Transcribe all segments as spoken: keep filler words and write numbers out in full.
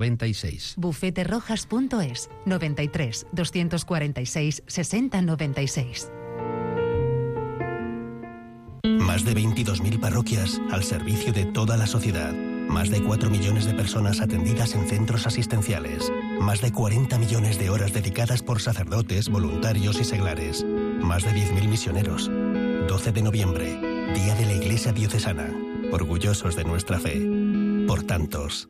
noventa y seis. bufeterojas punto es, noventa y tres, doscientos cuarenta y seis, sesenta noventa y seis. Más de veintidós mil parroquias al servicio de toda la sociedad. Más de cuatro millones de personas atendidas en centros asistenciales. Más de cuarenta millones de horas dedicadas por sacerdotes, voluntarios y seglares. Más de diez mil misioneros. doce de noviembre, Día de la Iglesia Diocesana. Orgullosos de nuestra fe. Por tantos.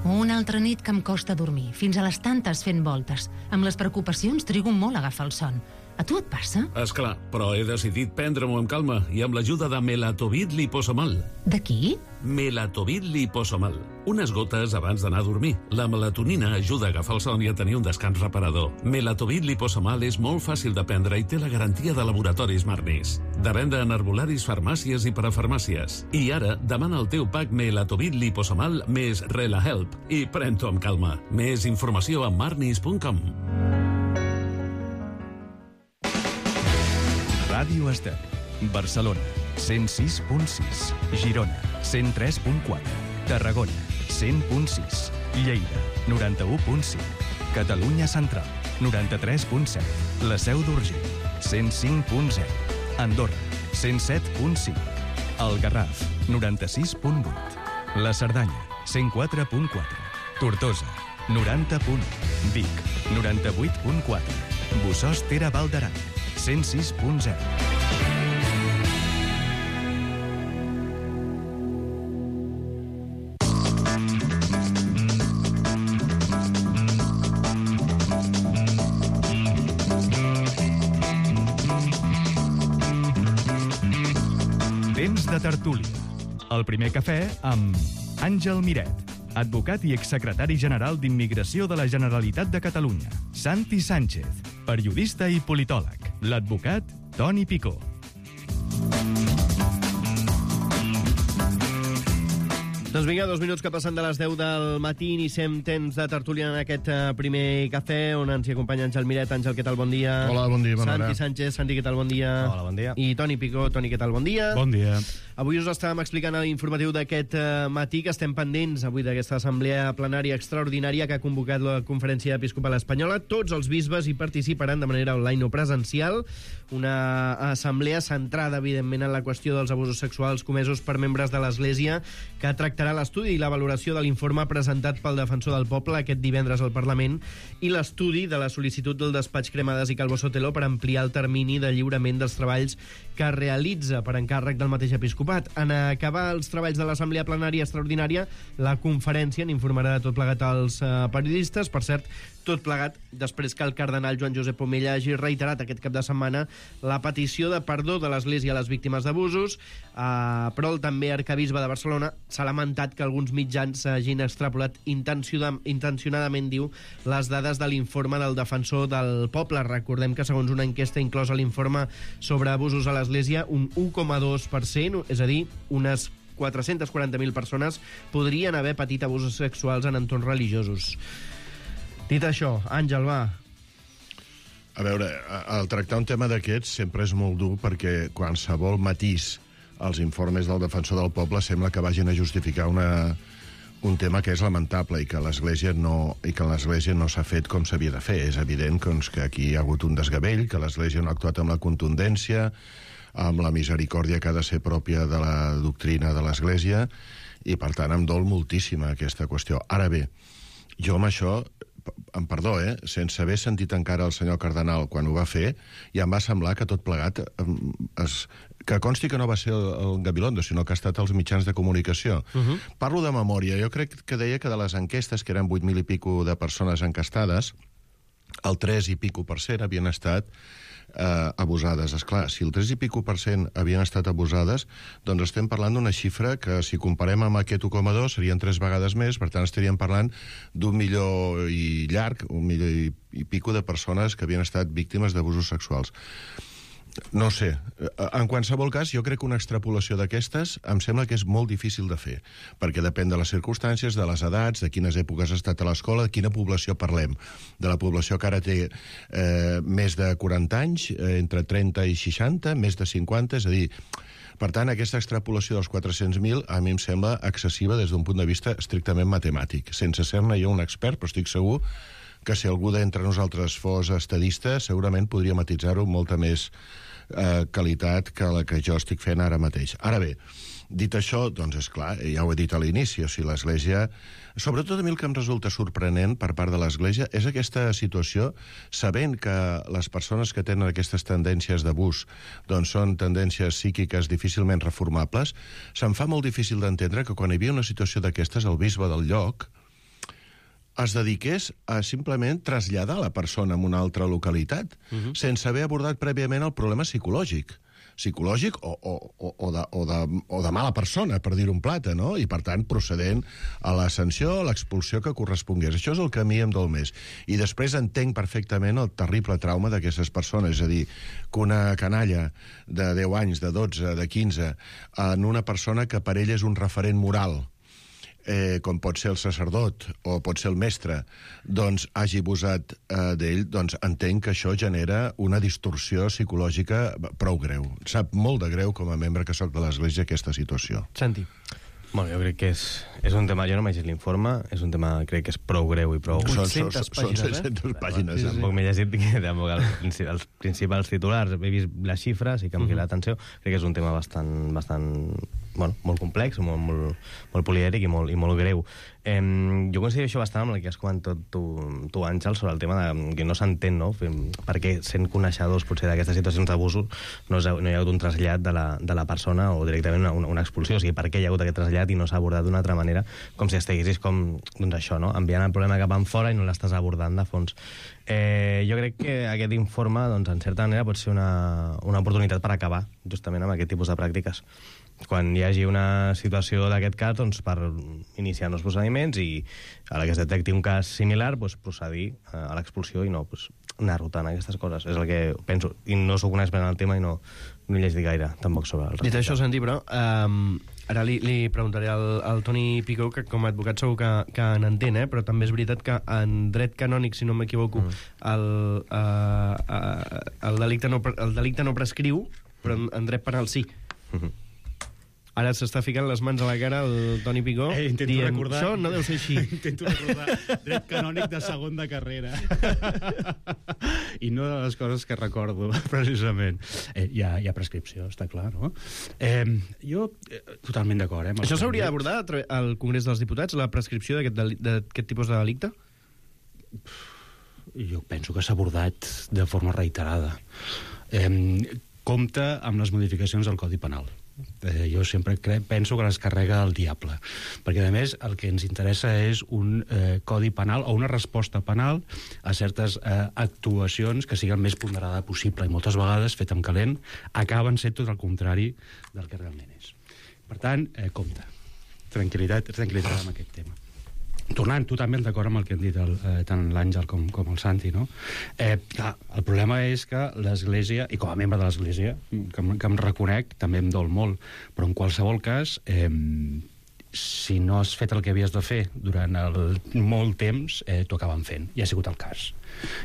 Una altra nit que em costa dormir, fins a les tantes fent voltes. Amb les preocupacions trigo molt a agafar el son. A tu et passa? Esclar, però he decidit prendre-m'ho amb calma i amb l'ajuda de Melatovit Liposomal. De qui? Melatovit Liposomal. Unes gotes abans d'anar a dormir. La melatonina ajuda a agafar el son i a tenir un descans reparador. Melatovit Liposomal és molt fàcil de prendre i té la garantia de laboratoris Marnis. De venda en herbolaris, farmàcies i parafarmàcies. I ara, demana el teu pack Melatovit Liposomal més RelaHelp i pren-t'ho amb calma. Més informació a marnis punt com. Ràdio Estel, Barcelona, cent sis punt sis, Girona, cent tres punt quatre, Tarragona, cent punt sis, Lleida, noranta-u punt cinc, Catalunya Central, noranta-tres punt set, La Seu d'Urgell, cent cinc punt zero, Andorra, cent set punt cinc, El Garraf, noranta-sis punt vuit, La Cerdanya, cent quatre punt quatre, Tortosa, noranta punt u, Vic, noranta-vuit punt quatre, Bossòst Tere Val d'Aran, cent sis punt zero. Temps de tertúlia. El primer cafè amb Àngel Miret, advocat i exsecretari general d'Immigració de la Generalitat de Catalunya. Santi Sánchez, periodista i politòleg. L'advocat Toni Picó. Doncs vinga, dos minuts que passen de les deu del matí, iniciem temps de tertúlia en aquest uh, primer cafè, on ens hi acompanya Àngel Miret. Àngel, què tal? Bon dia. Hola, bon dia, bona Santi hora. Sánchez, Santi, què tal? Bon dia. Hola, bon dia. I Toni Picó. Toni, què tal? Bon dia. Bon dia. Avui us estàvem explicant a l'informatiu d'aquest uh, matí que estem pendents avui d'aquesta assemblea plenària extraordinària que ha convocat la Conferència Episcopal Espanyola. Tots els bisbes hi participaran de manera online o presencial. Una assemblea centrada, evidentment, en la qüestió dels abusos sexuals comesos per membres de l'Església, que tractarà l'estudi i la valoració de l'informe presentat pel Defensor del Poble aquest divendres al Parlament i l'estudi de la sol·licitud del despatx Cremades i Calvo Sotelo per ampliar el termini de lliurament dels treballs que es realitza per encàrrec del mateix episcopat. En acabar els treballs de l'Assemblea Plenària Extraordinària, la conferència n'informarà de tot plegat als uh, periodistes. Per cert, tot plegat després que el cardenal Joan Josep Omella hagi reiterat aquest cap de setmana la petició de perdó de l'Església a les víctimes d'abusos, uh, però el també arcabisbe de Barcelona s'ha lamentat que alguns mitjans hagin extrapolat intencionadament, diu, les dades de l'informe del Defensor del Poble. Recordem que segons una enquesta inclosa a l'informe sobre abusos a l'Església, un u coma dos per cent, és a dir, unes quatre-cents quaranta mil persones podrien haver patit abusos sexuals en entorns religiosos. Dit això, Àngel, va. A veure, el tractar un tema d'aquests sempre és molt dur perquè qualsevol matís als informes del Defensor del Poble sembla que vagin a justificar una, un tema que és lamentable i que l'Església no, i que l'Església no s'ha fet com s'havia de fer. És evident doncs, que aquí hi ha hagut un desgavell, que l'Església no ha actuat amb la contundència, amb la misericòrdia que ha de ser pròpia de la doctrina de l'Església, i per tant em dol moltíssima aquesta qüestió. Ara bé, jo amb això, em perdó, eh, sense haver sentit encara el senyor cardenal quan ho va fer, ja em va semblar que tot plegat es, que consti que no va ser el, el Gabilondo, sinó que ha estat als mitjans de comunicació. Uh-huh. Parlo de memòria. Jo crec que deia que de les enquestes, que eren vuit mil i pico de persones encastades, el tres i pico per cent havien estat eh, abusades. Esclar, si el tres i pico per cent havien estat abusades, doncs estem parlant d'una xifra que, si comparem amb aquest u coma dos, serien tres vegades més. Per tant, estaríem parlant d'un milió i llarg, un milió i, i pico de persones que havien estat víctimes d'abusos sexuals. No sé, en qualsevol cas, jo crec que una extrapolació d'aquestes em sembla que és molt difícil de fer, perquè depèn de les circumstàncies, de les edats, de quines èpoques ha estat a l'escola, de quina població parlem. De la població que ara té eh, més de quaranta anys, eh, entre trenta i seixanta, més de cinquanta, és a dir, Per tant, aquesta extrapolació dels quatre-cents mil a mi em sembla excessiva des d'un punt de vista estrictament matemàtic. Sense ser-ne jo un expert, però estic segur que si algú d'entre nosaltres fos estadista, segurament podria matitzar-ho amb molta més eh, qualitat que la que jo estic fent ara mateix. Ara bé, dit això, doncs és clar, ja ho he dit a l'inici, o sigui, l'Església... Sobretot a mi el que em resulta sorprenent per part de l'Església és aquesta situació, sabent que les persones que tenen aquestes tendències d'abús doncs són tendències psíquiques difícilment reformables, se'm fa molt difícil d'entendre que quan hi havia una situació d'aquestes, el bisbe del lloc es dediqués a simplement traslladar la persona a una altra localitat, uh-huh. sense haver abordat prèviament el problema psicològic. psicològic o, o, o, de, o, de, o de mala persona, per dir un plata, no? I, per tant, procedent a la sanció o l'expulsió que correspongués. Això és el que a mi em dol més. I després entenc perfectament el terrible trauma d'aquestes persones. És a dir, que una canalla de deu anys, de dotze, de quinze, en una persona que per ell és un referent moral, eh, com pot ser el sacerdot o pot ser el mestre, doncs hagi abusat eh, d'ell, doncs entenc que això genera una distorsió psicològica prou greu. Sap molt de greu com a membre que sóc de l'Església aquesta situació. Santi. Bueno, jo crec que és, és un tema, jo no m'he llegit l'informe, és un tema, crec que és prou greu i prou... Són vuit-centes pàgines, són set-centes pàgines. Sí, sí. Tampoc m'he llegit tampoc els, els principals titulars, he vist les xifres i que em queda l'atenció. Crec que és un tema bastant, bastant bueno, molt complex, molt, molt, molt polièdric i molt, i molt greu. Eh, jo considero això bastant amb el que has comentat tu, tu, Àngel, sobre el tema de, que no s'entén, no? Perquè sent coneixedors potser d'aquestes situacions d'abusos no, no hi ha hagut un trasllat de la, de la persona o directament una, una expulsió. O sigui, per què hi ha hagut aquest trasllat i no s'ha abordat d'una altra manera, com si estiguessis com, doncs això, no? Enviant el problema cap enfora i no l'estàs abordant de fons. Eh, jo crec que aquest informe, doncs, en certa manera, pot ser una, una oportunitat per acabar justament amb aquest tipus de pràctiques. Quan hi hagi una situació d'aquest cas, doncs, per iniciar nous procediments i a la que es detecti un cas similar, doncs, procedir a l'expulsió i no doncs, anar rotant aquestes coses. És el que penso. I no sóc un expert en el tema i no, no he llegit gaire, tampoc, sobre el respecte. Dit això, Santi, però... Um... Ara li, li preguntaré al, al Toni Picó, que com a advocat segur que, que n'entén, eh? Però també és veritat que en dret canònic, si no m'equivoco, mm. el, uh, uh, el, delicte no, el delicte no prescriu, però en, en dret penal sí. Mm-hmm. Ara s'està ficant les mans a la cara el Toni Picó, eh, intento dient, recordar, això no deu ser així. Intento recordar dret canònic de segon de carrera. I no de les coses que recordo, precisament. Eh, hi, ha, hi ha prescripció, està clar, no? Eh, jo, eh, totalment d'acord, eh? Això s'hauria d'abordar al Congrés dels Diputats, la prescripció d'aquest tipus de delicte? Jo penso que s'ha abordat de forma reiterada. Eh, compta amb les modificacions del Codi Penal. Eh, jo sempre crec, penso que les carrega el diable, perquè a més el que ens interessa és un eh, codi penal o una resposta penal a certes eh, actuacions que siguin més ponderada possible i moltes vegades, fet amb calent, acaben sent tot el contrari del que realment és. Per tant, eh, compte, tranquil·litat, tranquil·litat amb aquest tema. Tornant totalment d'acord amb el que han dit el, eh, tant l'Àngel com, com el Santi, no? Eh, clar, el problema és que l'Església, i com a membre de l'Església, que, que em reconec, també em dol molt, però en qualsevol cas, eh, si no has fet el que havies de fer durant el, molt temps, eh, t'ho acaben fent. I ha sigut el cas.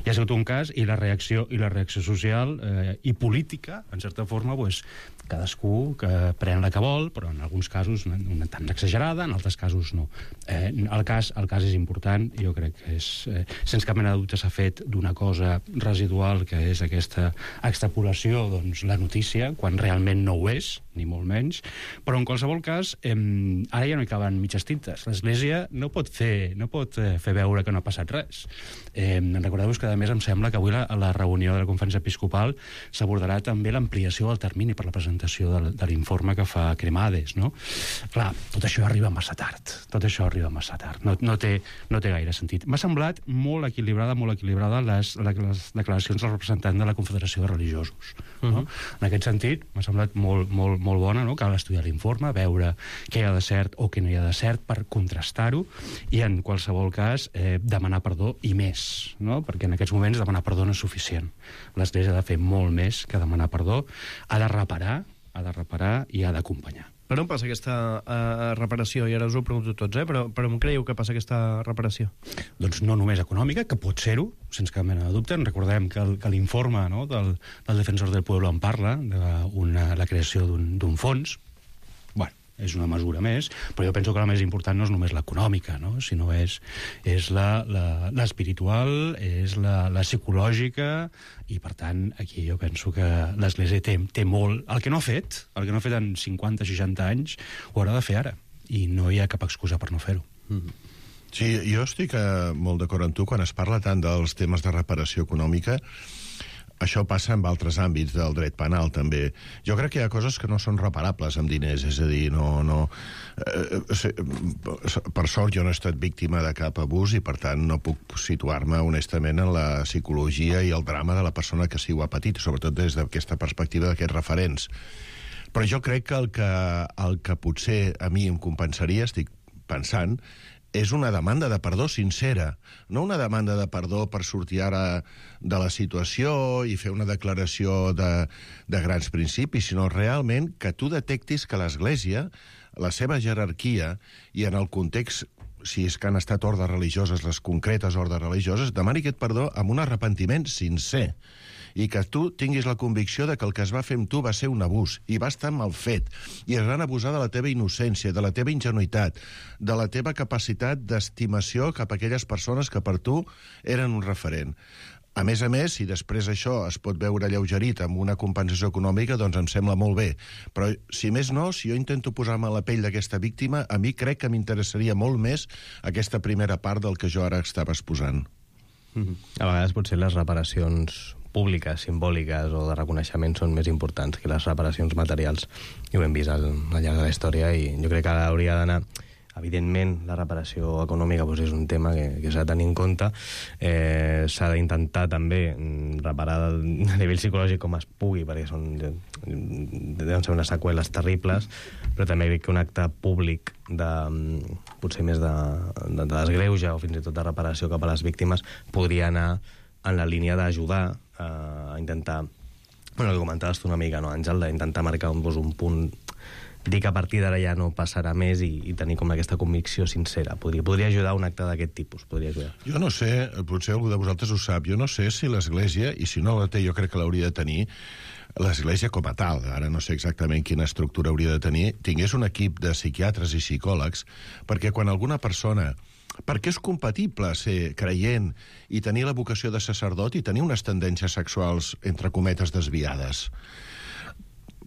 I ha sigut un cas, i la reacció, i la reacció social eh, i política, en certa forma, pues, cadascú que pren la que vol, però en alguns casos una tan exagerada, en altres casos no. Eh, el, cas, el cas és important, jo crec que és, eh, sense cap mena de dubte s'ha fet d'una cosa residual, que és aquesta extrapolació, doncs, la notícia, quan realment no ho és, ni molt menys, però en qualsevol cas, eh, ara ja no hi caben mitges tintes. L'Església no pot fer, no pot fer veure que no ha passat res. Eh, recordeu-vos que, a més, em sembla que avui a la, la reunió de la Conferència Episcopal s'abordarà també l'ampliació del termini per la presentació de, de l'informe que fa Cremades, no? Clar, tot això arriba massa tard. Tot això arriba massa tard. No, no, té, no té gaire sentit. M'ha semblat molt equilibrada, molt equilibrada les, les declaracions del representant de la Confederació de Religiosos. No? Uh-huh. En aquest sentit, m'ha semblat molt, molt, molt bona, no? Cal estudiar l'informe, veure què hi ha de cert o què no hi ha de cert per contrastar-ho i, en qualsevol cas, eh, demanar perdó i més, no? Perquè en aquests moments demanar perdó no és suficient. L'Església ha de fer molt més que demanar perdó, ha de reparar, ha de reparar i ha d'acompanyar. Per on passa aquesta uh, reparació? I ara us ho pregunto tots, eh? però, però on creieu que passa aquesta reparació? Doncs no només econòmica, que pot ser-ho, sense cap mena de dubte. Recordem que, el, que l'informe, no, del, del Defensor del Pueblo en parla, de una, la creació d'un fons. Bueno, és una mesura més, però jo penso que la més important no és només l'econòmica, no? Sinó és, és l'espiritual, és la, la psicològica, i per tant aquí jo penso que l'Església té, té molt... El que no ha fet, el que no ha fet en cinquanta o seixanta anys, ho haurà de fer ara, i no hi ha cap excusa per no fer-ho. Mm-hmm. Sí, jo estic eh, molt d'acord amb tu quan es parla tant dels temes de reparació econòmica. Això passa en altres àmbits del dret penal, també. Jo crec que hi ha coses que no són reparables amb diners, és a dir, no... no eh, per sort jo no he estat víctima de cap abús i, per tant, no puc situar-me honestament en la psicologia i el drama de la persona que sí ho ha patit, sobretot des d'aquesta perspectiva d'aquests referents. Però jo crec que el que, el que potser a mi em compensaria, estic pensant, és una demanda de perdó sincera, no una demanda de perdó per sortir ara de la situació i fer una declaració de, de grans principis, sinó realment que tu detectis que l'Església, la seva jerarquia, i en el context, si és que han estat ordes religioses, les concretes ordes religioses, demani aquest perdó amb un arrepentiment sincer, i que tu tinguis la convicció de que el que es va fer amb tu va ser un abús, i va estar mal fet, i es van abusar de la teva innocència, de la teva ingenuïtat, de la teva capacitat d'estimació cap a aquelles persones que per tu eren un referent. A més a més, si després això es pot veure alleugerit amb una compensació econòmica, doncs em sembla molt bé. Però, si més no, si jo intento posar-me a la pell d'aquesta víctima, a mi crec que m'interessaria molt més aquesta primera part del que jo ara estava exposant. Mm-hmm. A vegades potser les reparacions públiques, simbòliques o de reconeixement són més importants que les reparacions materials, i ho hem vist al, al llarg de la història, i jo crec que hauria d'anar... Evidentment, la reparació econòmica doncs, és un tema que, que s'ha de tenir en compte. Eh, s'ha d'intentar també reparar a nivell psicològic com es pugui, perquè són, deuen ser unes seqüeles terribles, però també crec que un acte públic de, potser més de, de, de desgreuge o fins i tot de reparació cap a les víctimes podria anar en la línia d'ajudar a intentar, bueno, el que comentaves tu una mica, no, Àngel, d'intentar marcar un, doncs, un punt, dir que a partir d'ara ja no passarà més i, i tenir com aquesta convicció sincera. Podria, podria ajudar un acte d'aquest tipus, podria ajudar. Jo no sé, potser algú de vosaltres ho sap, jo no sé si l'Església, i si no la té, jo crec que l'hauria de tenir, l'Església com a tal, ara no sé exactament quina estructura hauria de tenir, tingués un equip de psiquiatres i psicòlegs, perquè quan alguna persona... Perquè és compatible ser creient i tenir la vocació de sacerdot i tenir unes tendències sexuals, entre cometes, desviades.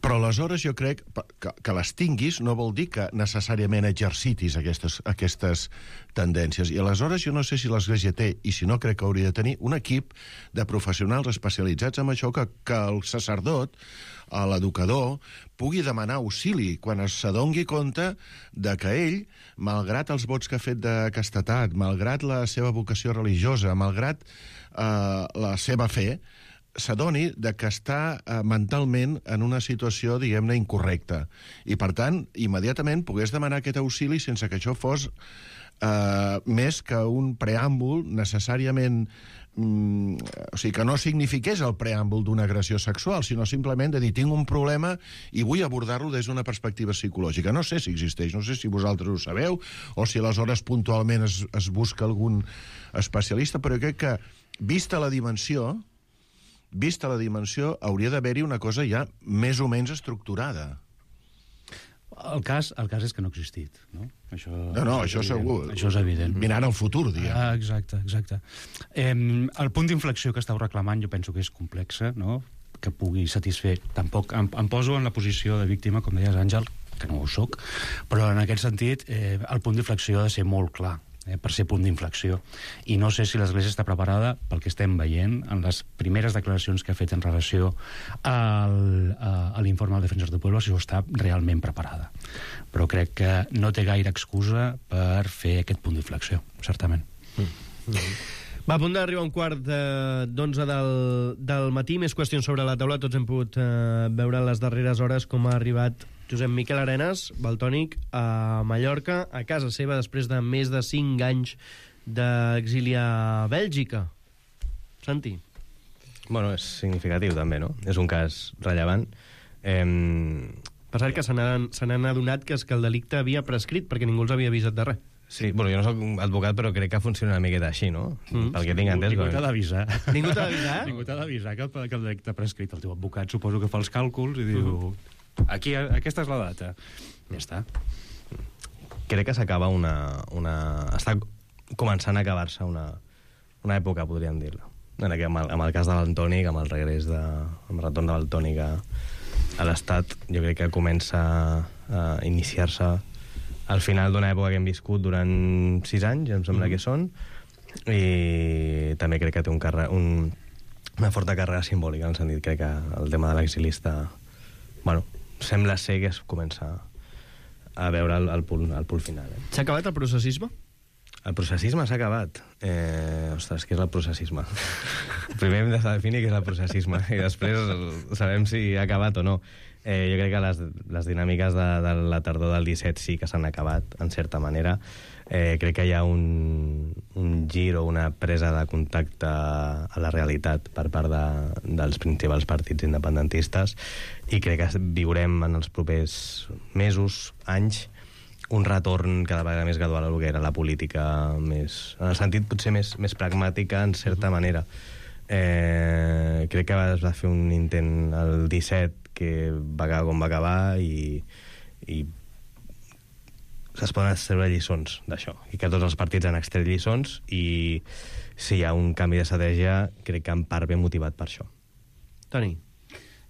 Però aleshores jo crec que, que les tinguis no vol dir que necessàriament exercitis aquestes, aquestes tendències. I aleshores jo no sé si l'Església té, i si no crec que hauria de tenir, un equip de professionals especialitzats en això, que, que el sacerdot, l'educador, pugui demanar auxili quan s'adongui compte de que ell, malgrat els vots que ha fet de castetat, malgrat la seva vocació religiosa, malgrat eh, la seva fe, s'adoni de que està eh, mentalment en una situació, diguem-ne, incorrecta. I, per tant, immediatament pogués demanar aquest auxili sense que això fos eh, més que un preàmbul necessàriament... Mm, o sigui, que no signifiqués el preàmbul d'una agressió sexual, sinó simplement de dir, tinc un problema i vull abordar-lo des d'una perspectiva psicològica. No sé si existeix, no sé si vosaltres ho sabeu, o si aleshores puntualment es, es busca algun especialista, però crec que, vista la dimensió... Vista la dimensió, hauria d'haver-hi una cosa ja més o menys estructurada. El cas, el cas és que no ha existit, no? Això, no, no, això segur. Això és evident. Mirant al futur, diguem. Ah, exacte, exacte. Eh, el punt d'inflexió que estàu reclamant jo penso que és complexa, no?, que pugui satisfer. Tampoc em, em poso en la posició de víctima, com deies, Àngel, que no ho soc, però en aquest sentit eh, el punt d'inflexió ha de ser molt clar, eh, per ser punt d'inflexió. I no sé si l'Església està preparada pel que estem veient en les primeres declaracions que ha fet en relació al, a, a l'informe del Defensor del Pueblo, si ho està realment preparada. Però crec que no té gaire excusa per fer aquest punt d'inflexió, certament. Mm. Mm. Va, a punt d'arribar un quart d'onze del, del matí. Més qüestions sobre la taula. Tots hem pogut eh, veure en les darreres hores com ha arribat Josep Miquel Arenas, valtònic, a Mallorca, a casa seva, després de més de cinc anys d'exili a Bèlgica. Santi. Bueno, és significatiu, també, no? És un cas rellevant. Eh, Per cert, que se n'han se n'han adonat que, és que el delicte havia prescrit, perquè ningú els havia avisat de res. Sí, bueno, jo no soc advocat, però crec que funciona una miqueta així, no? Mm. Pel que tinc entès. Ningú t'ha d'avisar. Ningú t'ha d'avisar? Ningú t'ha d'avisar que, que el delicte ha prescrit. El teu advocat suposo que fa els càlculs i diu... Aquí, aquesta és la data. Ja està. Crec que s'acaba una, una... Està començant a acabar-se una, una època, podríem dir-la. En el, amb, el, amb el cas de Valtònyc, amb el regrés de... amb el retorn de Valtònyc a, a l'Estat, jo crec que comença a iniciar-se al final d'una època que hem viscut durant sis anys, em sembla mm. que són, i també crec que té un carre, un, una forta càrrega simbòlica, en el sentit crec que el tema de l'exilista, bueno, sembla ser que es comença a veure el, el, punt, el punt final. Eh? S'ha acabat el processisme? El processisme s'ha acabat. Eh, ostres, què és el processisme? Primer hem de definir què és el processisme i després sabem si ha acabat o no. Eh, jo crec que les, les dinàmiques de, de la tardor del disset sí que s'han acabat, en certa manera. Eh, crec que hi ha un, un gir o una presa de contacte a la realitat per part de, dels principals partits independentistes i crec que viurem en els propers mesos, anys, un retorn cada vegada més gradual al que era la política, més, en el sentit potser més, més pragmàtica, en certa manera. Eh, crec que es va fer un intent el disset que va acabar com va acabar i, i es poden extreure lliçons d'això, i que tots els partits han extret lliçons i si hi ha un canvi d'estratègia crec que en part ve motivat per això. Toni?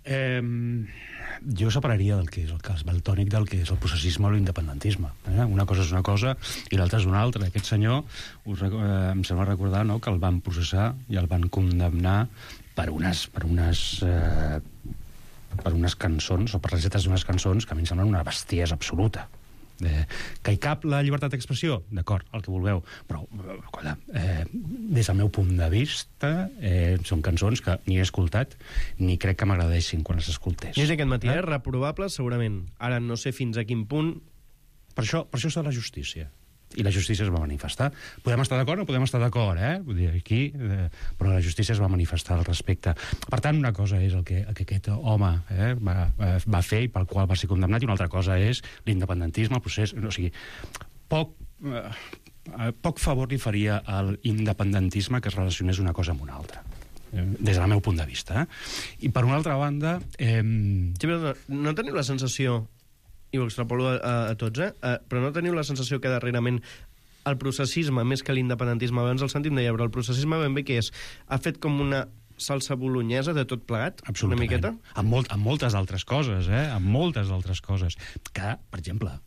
Eh, jo separaria del que és el cas Valtònyc del que és el processisme o l'independentisme. Eh? Una cosa és una cosa i l'altra és una altra. Aquest senyor, us, eh, em sembla recordar, no?, que el van processar i el van condemnar per unes... Per unes eh, per unes cançons, o per les lletres d'unes cançons que a mi em semblen una bestiesa absoluta. Eh, que hi cap la llibertat d'expressió? D'acord, el que vulgueu, però eh, eh, des del meu punt de vista eh, són cançons que ni he escoltat ni crec que m'agradessin quan les escoltés. I és aquest matí, eh? Reprovable, segurament. Ara no sé fins a quin punt... Per això, per això està la justícia. I la justícia es va manifestar. Podem estar d'acord o no podem estar d'acord, eh? Vull dir, aquí... Eh, però la justícia es va manifestar al respecte. Per tant, una cosa és el que, el que aquest home eh, va, va fer i pel qual va ser condemnat, i una altra cosa és l'independentisme, el procés... O sigui, poc... Eh, poc favor li faria a l'independentisme que es relacionés una cosa amb una altra, eh, des del meu punt de vista. Eh? I per una altra banda... Eh... Sí, però no teniu la sensació... i ho extrapolo a, a, a tots, eh? Uh, però no teniu la sensació que darrerament el processisme, més que l'independentisme, abans el sentim deia, però el processisme ben bé que és, ha fet com una salsa bolognesa de tot plegat? Una miqueta? Amb, molt, amb moltes altres coses, eh? Amb moltes altres coses. Que, per exemple,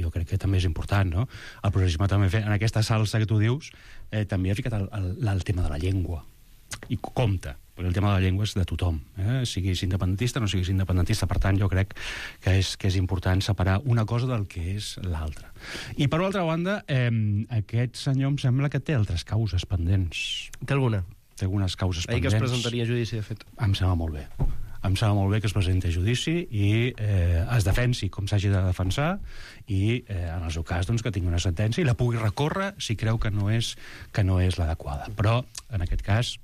jo crec que també és important, no? El processisme també ha fet, en aquesta salsa que tu dius, eh, també ha ficat el, el, el tema de la llengua. I compte, perquè el tema de la llengua és de tothom, eh? Siguis independentista o no siguis independentista. Per tant, jo crec que és, que és important separar una cosa del que és l'altra. I per l'altra banda, eh, aquest senyor em sembla que té altres causes pendents. Té alguna? Té algunes causes Ahir pendents. que es presentaria a judici, de fet. Em sembla molt bé. Em sembla molt bé que es presenti a judici i eh, es defensi com s'hagi de defensar i, eh, en el seu cas, doncs, que tingui una sentència i la pugui recórrer si creu que no és, que no és l'adequada. Però, en aquest cas,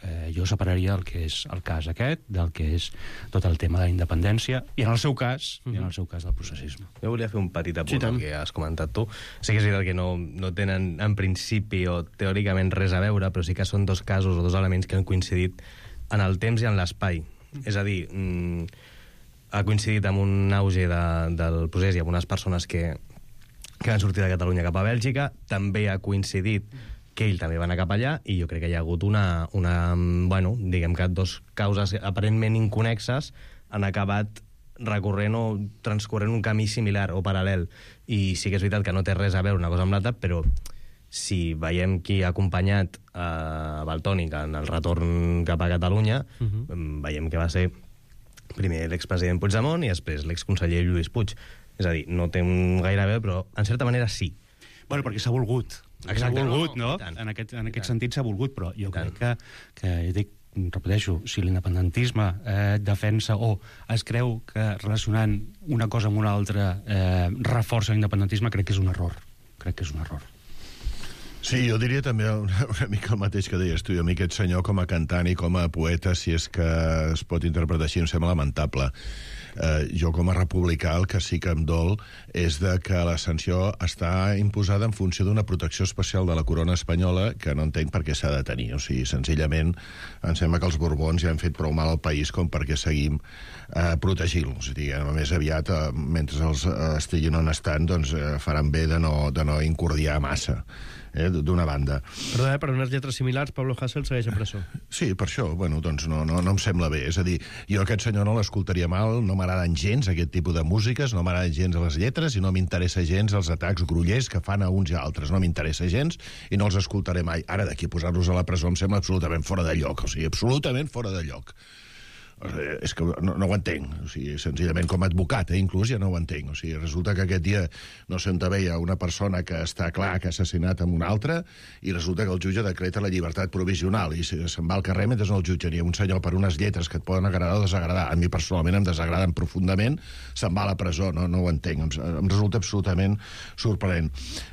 Eh, jo separaria el que és el cas aquest del que és tot el tema de la independència i en el seu cas, uh -huh. i en el seu cas del processisme. Jo volia fer un petit apunt sí, al que has comentat tu. Sí que és veritat que no, no tenen en principi o teòricament res a veure, però sí que són dos casos o dos elements que han coincidit en el temps i en l'espai. Uh -huh. És a dir, mm, ha coincidit amb un auge de, del procés i amb unes persones que, que van sortir de Catalunya cap a Bèlgica. També ha coincidit que ell també va anar cap allà, i jo crec que hi ha hagut una, una bueno, diguem que dos causes aparentment inconexes han acabat recorrent o transcorrent un camí similar o paral·lel. I sí que és veritat que no té res a veure una cosa amb l'altra, però si veiem qui ha acompanyat a Valtònyc en el retorn cap a Catalunya, uh -huh. veiem que va ser primer l'expresident Puigdemont i després l'exconseller Lluís Puig. És a dir, no té un gaire a veure, però en certa manera sí. Bueno, perquè s'ha volgut. S'ha volgut, no? no? En aquest, en aquest sentit s'ha volgut, però jo crec que, que dic, repeteixo, si l'independentisme eh, defensa o es creu que relacionant una cosa amb una altra eh, reforça l'independentisme, crec que és un error. Crec que és un error. Sí, jo diria també una, una mica el mateix que deies tu. A mi aquest senyor com a cantant i com a poeta, si és que es pot interpretar així, em sembla lamentable. Eh, jo com a republicà el que sí que em dol és de que la sanció està imposada en funció d'una protecció especial de la corona espanyola que no entenc per què s'ha de tenir. O sigui, senzillament em sembla que els Borbons ja han fet prou mal al país com perquè seguim eh, protegint-los. Més aviat, eh, mentre els eh, estiguin on estan, doncs eh, faran bé de no, de no incordiar massa. Eh, d'una banda. Perdó, eh, per unes lletres similars, Pablo Hasél segueix a presó. Sí, per això, bueno, doncs no, no, no em sembla bé. És a dir, jo aquest senyor no l'escoltaria mal, no m'agraden gens aquest tipus de músiques, no m'agraden gens les lletres i no m'interessa gens els atacs grollers que fan a uns i a altres. No m'interessa gens i no els escoltaré mai. Ara, d'aquí posar-los a la presó em sembla absolutament fora de lloc, o sigui, absolutament fora de lloc. És que no, no ho entenc, o sigui, senzillament com a advocat, eh, inclús ja no ho entenc. O sigui, resulta que aquest dia no se'n veia una persona que està clar que ha assassinat amb una altra i resulta que el jutge decreta la llibertat provisional i se'n va al carrer mentre no el jutgen. I un senyor per unes lletres que et poden agradar o desagradar, a mi personalment em desagraden profundament, se'n va a la presó, no, no ho entenc. Em, em resulta absolutament sorprenent.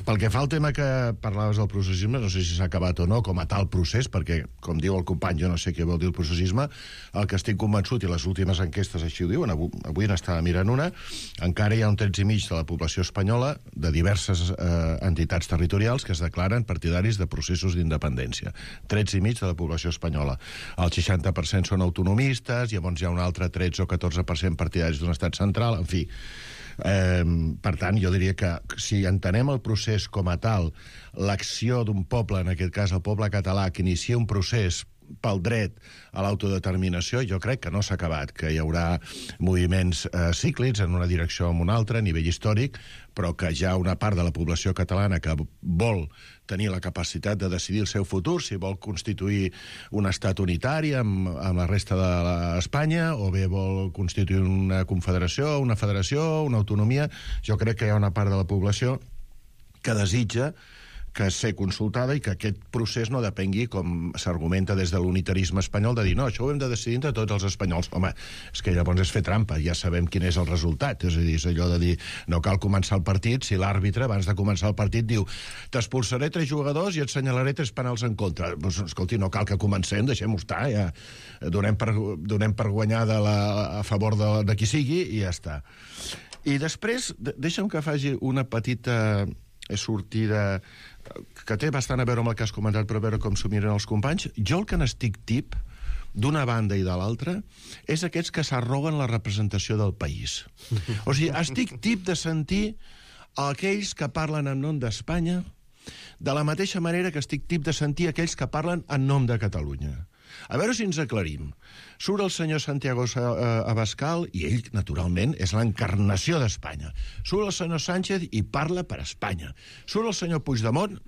Pel que fa al tema que parlaves del processisme, no sé si s'ha acabat o no com a tal procés, perquè, com diu el company, jo no sé què vol dir el processisme, el que estic convençut, i les últimes enquestes així ho diuen, avui, avui n'estava mirant una, encara hi ha un tretze i mig de la població espanyola de diverses eh, entitats territorials que es declaren partidaris de processos d'independència. tretze i mig de la població espanyola. El seixanta per cent són autonomistes, llavors hi ha un altre tretze o catorze per cent partidaris d'un estat central, en fi. Eh, per tant, jo diria que si entenem el procés com a tal, l'acció d'un poble, en aquest cas el poble català, que inicia un procés pel dret a l'autodeterminació, jo crec que no s'ha acabat, que hi haurà moviments eh, cíclics en una direcció o en una altra a nivell històric, però que hi ha una part de la població catalana que vol tenir la capacitat de decidir el seu futur, si vol constituir un estat unitari amb, amb la resta d'Espanya, o bé vol constituir una confederació, una federació, una autonomia. Jo crec que hi ha una part de la població que desitja que ser consultada i que aquest procés no depengui, com s'argumenta des de l'unitarisme espanyol, de dir, no, això ho hem de decidir entre tots els espanyols. Home, és que llavors és fer trampa, ja sabem quin és el resultat. És a dir, és allò de dir, no cal començar el partit si l'àrbitre, abans de començar el partit, diu t'expulsaré tres jugadors i et senyalaré tres penals en contra. Pues, escolti, no cal que comencem, deixem-ho estar, ja donem per, donem per guanyar de la, a favor de, de qui sigui i ja està. I després, deixa'm que faci una petita sortida que té bastant a veure amb el que has comentat, però a veure com s'ho miren els companys. Jo el que n'estic tip, d'una banda i de l'altra, és aquests que s'arroguen la representació del país. O sigui, estic tip de sentir aquells que parlen en nom d'Espanya de la mateixa manera que estic tip de sentir aquells que parlen en nom de Catalunya. A veure si ens aclarim. Surt el senyor Santiago Abascal i ell, naturalment, és l'encarnació d'Espanya. Surt el senyor Sánchez i parla per Espanya. Surt el senyor Puigdemont,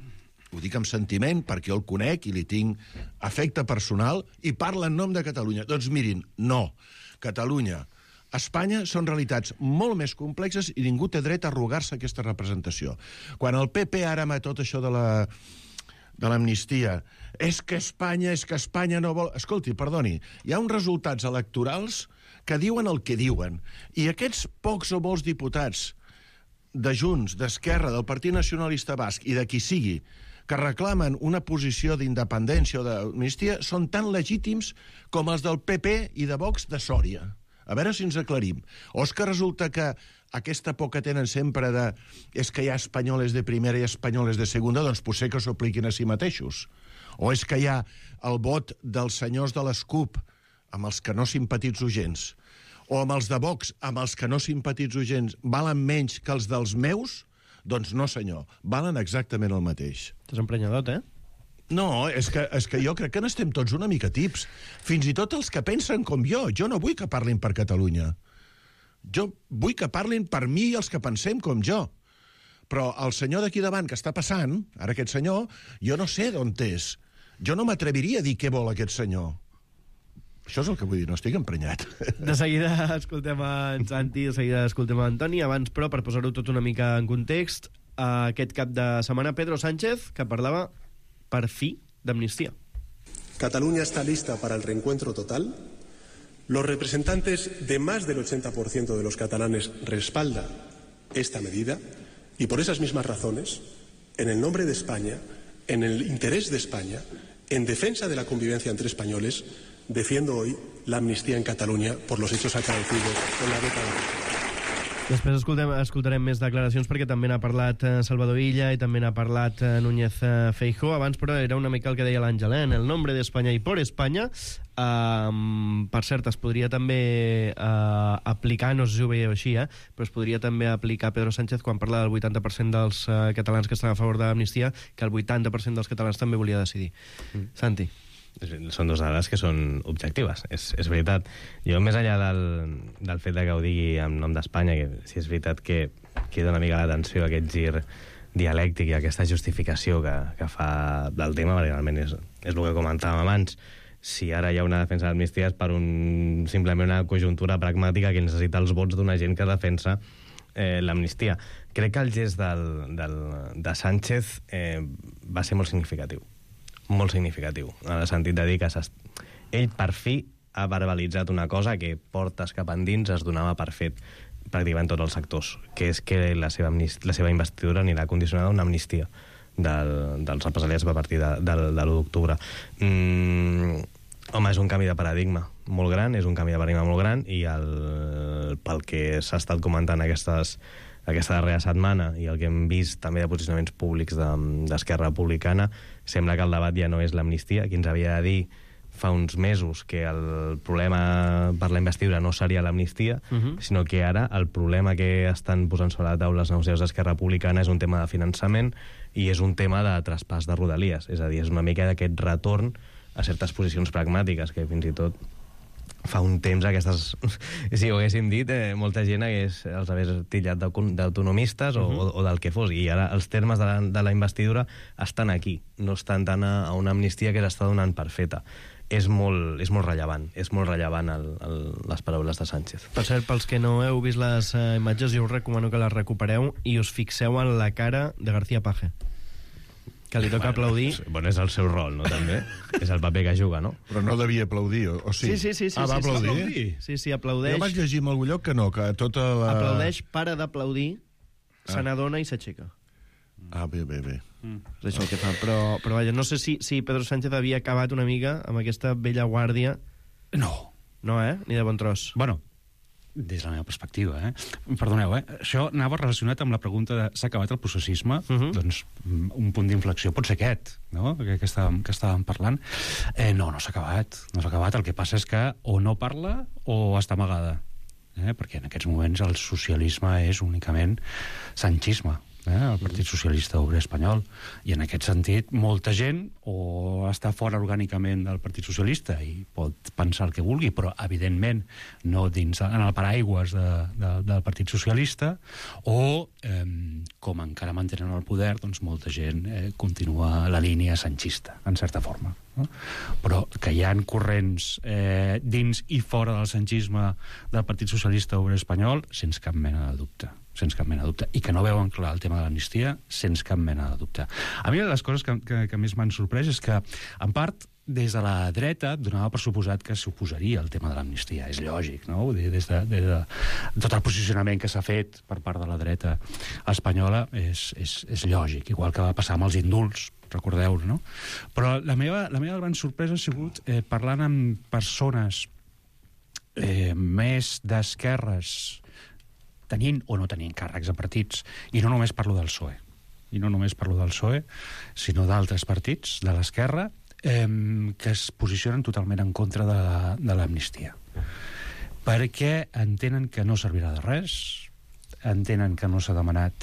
ho dic amb sentiment perquè jo el conec i li tinc afecte personal, i parla en nom de Catalunya. Doncs mirin, no. Catalunya, Espanya són realitats molt més complexes i ningú té dret a arrogar-se aquesta representació. Quan el P P ara amb tot això de la... de l'amnistia, és que Espanya, és que Espanya no vol... Escolti, perdoni, hi ha uns resultats electorals que diuen el que diuen, i aquests pocs o molts diputats de Junts, d'Esquerra, del Partit Nacionalista Basc i de qui sigui, que reclamen una posició d'independència o d'amnistia, són tan legítims com els del P P i de Vox de Sòria. A veure si ens aclarim. O és que resulta que aquesta por que tenen sempre de és que hi ha espanyoles de primera i espanyoles de segunda, doncs potser que s'ho apliquin a si mateixos. O és que hi ha el vot dels senyors de les CUP amb els que no simpatitzo gens, o amb els de Vox amb els que no simpatitzo gens, valen menys que els dels meus? Doncs no, senyor, valen exactament el mateix. T'has emprenyadot, eh? No, és que, és que jo crec que n'estem tots una mica tips. Fins i tot els que pensen com jo. Jo no vull que parlin per Catalunya. Jo vull que parlin per mi i els que pensem com jo. Però el senyor d'aquí davant que està passant, ara aquest senyor, jo no sé d'on és. Jo no m'atreviria a dir què vol aquest senyor. Això és el que vull dir, no estic emprenyat. De seguida escoltem en Santi, de seguida escoltem en Antoni. Abans, però, per posar-ho tot una mica en context, aquest cap de setmana Pedro Sánchez, que parlava per fi d'amnistia. Cataluña está lista para el reencuentro total. Los representantes de más del ochenta por ciento de los catalanes respaldan esta medida y por esas mismas razones, en el nombre de España, en el interés de España, en defensa de la convivencia entre españoles, defiendo hoy la amnistía en Cataluña por los hechos acaecidos en la década. Després escoltem, escoltarem més declaracions perquè també n'ha parlat eh, Salvador Illa i també n'ha parlat eh, Núñez eh, Feijóo. Abans, però, era una mica el que deia l'Àngel, eh? En el nombre d'Espanya i por Espanya. Um, per cert, es podria també uh, aplicar, no sé si ho veieu així, eh? Però es podria també aplicar Pedro Sánchez quan parla del vuitanta per cent dels uh, catalans que estan a favor de l'amnistia, que el vuitanta per cent dels catalans també volia decidir. Mm. Santi. Són dues dades que són objectives, és, és veritat. Jo, més enllà del, del fet de que ho digui en nom d'Espanya, que si és veritat que queda una mica l'atenció a aquest gir dialèctic i aquesta justificació que, que fa del tema, perquè realment és, és el que comentàvem abans. Si ara hi ha una defensa d'amnistia és per un, simplement una conjuntura pragmàtica que necessita els vots d'una gent que defensa eh, l'amnistia. Crec que el gest del, del, de Sánchez eh, va ser molt significatiu. molt significatiu, en el sentit de dir que ell per fi ha verbalitzat una cosa que portes cap endins es donava per fet pràcticament tots els sectors, que és que la seva, la seva investidura anirà condicionada a una amnistia del, dels represaliats a partir de, de, de l'u d'octubre. Mm, home, és un canvi de paradigma molt gran, és un canvi de paradigma molt gran, i el, pel que s'ha estat comentant aquestes aquesta darrera setmana i el que hem vist també de posicionaments públics d'Esquerra Republicana, sembla que el debat ja no és l'amnistia. Qui ens havia de dir fa uns mesos que el problema per la investidura no seria l'amnistia, uh-huh. sinó que ara el problema que estan posant sobre la taula els negociadors d'Esquerra Republicana és un tema de finançament i és un tema de traspàs de Rodalies. És a dir, és una mica d'aquest retorn a certes posicions pragmàtiques que fins i tot fa un temps aquestes... Si ho haguéssim dit, eh, molta gent hagués, els hagués tillat d'autonomistes o, uh-huh. o, o del que fos. I ara els termes de la, de la investidura estan aquí. No estan tant a, a una amnistia que s'està donant per feta. És molt, és molt rellevant. És molt rellevant el, el, les paraules de Sánchez. Per cert, pels que no heu vist les uh, imatges, jo us recomano que les recupereu i us fixeu en la cara de García Paje, que li toca bueno, aplaudir. Bueno, és el seu rol, no, també? És el paper que juga, no? Però no devia aplaudir, o, o sí? Sí, sí, sí. sí ah, va sí, aplaudir? Sí, sí, sí, aplaudeix. Jo vaig llegir en algun lloc que no, que tota la... Aplaudeix, para d'aplaudir, ah. se n'adona i s'aixeca. Ah, bé, bé, bé. Mm. És això el que fa. Però, però vaja, no sé si, si Pedro Sánchez havia acabat una mica amb aquesta vella guàrdia. No. No, eh? Ni de bon tros. Bueno, des de la meva perspectiva, eh? Perdoneu, eh? Això anava relacionat amb la pregunta de s'ha acabat el processisme? Uh-huh. Doncs un punt d'inflexió pot ser aquest, no? Que, que, estàvem, que estàvem parlant. Eh, no, no s'ha acabat. No s'ha acabat. El que passa és que o no parla o està amagada. Eh? Perquè en aquests moments el socialisme és únicament sanchisme. Eh, el Partit Socialista Obrer Espanyol, i en aquest sentit molta gent o està fora orgànicament del Partit Socialista i pot pensar el que vulgui, però evidentment no dins en el paraigües de, de, del Partit Socialista, o eh, com encara mantenen el poder, doncs molta gent eh, continua la línia sanchista, en certa forma, no? Però que hi ha corrents eh, dins i fora del sanchisme del Partit Socialista Obrer Espanyol, sense cap mena de dubte sense cap mena de dubte, i que no veuen clar el tema de l'amnistia, sense cap mena de dubte. A mi una de les coses que, que, que més m'han sorprès és que, en part, des de la dreta donava per suposat que s'oposaria al tema de l'amnistia. És lògic, no? Vull dir, des de, des de tot el posicionament que s'ha fet per part de la dreta espanyola és, és, és lògic, igual que va passar amb els indults, recordeu, no? Però la meva, la meva gran sorpresa ha sigut eh, parlant amb persones eh, més d'esquerres, tenint o no tenint càrrecs a partits, i no només parlo del P S O E, i no només parlo del P S O E, sinó d'altres partits de l'esquerra, eh, que es posicionen totalment en contra de, de l'amnistia. Perquè entenen que no servirà de res, entenen que no s'ha demanat,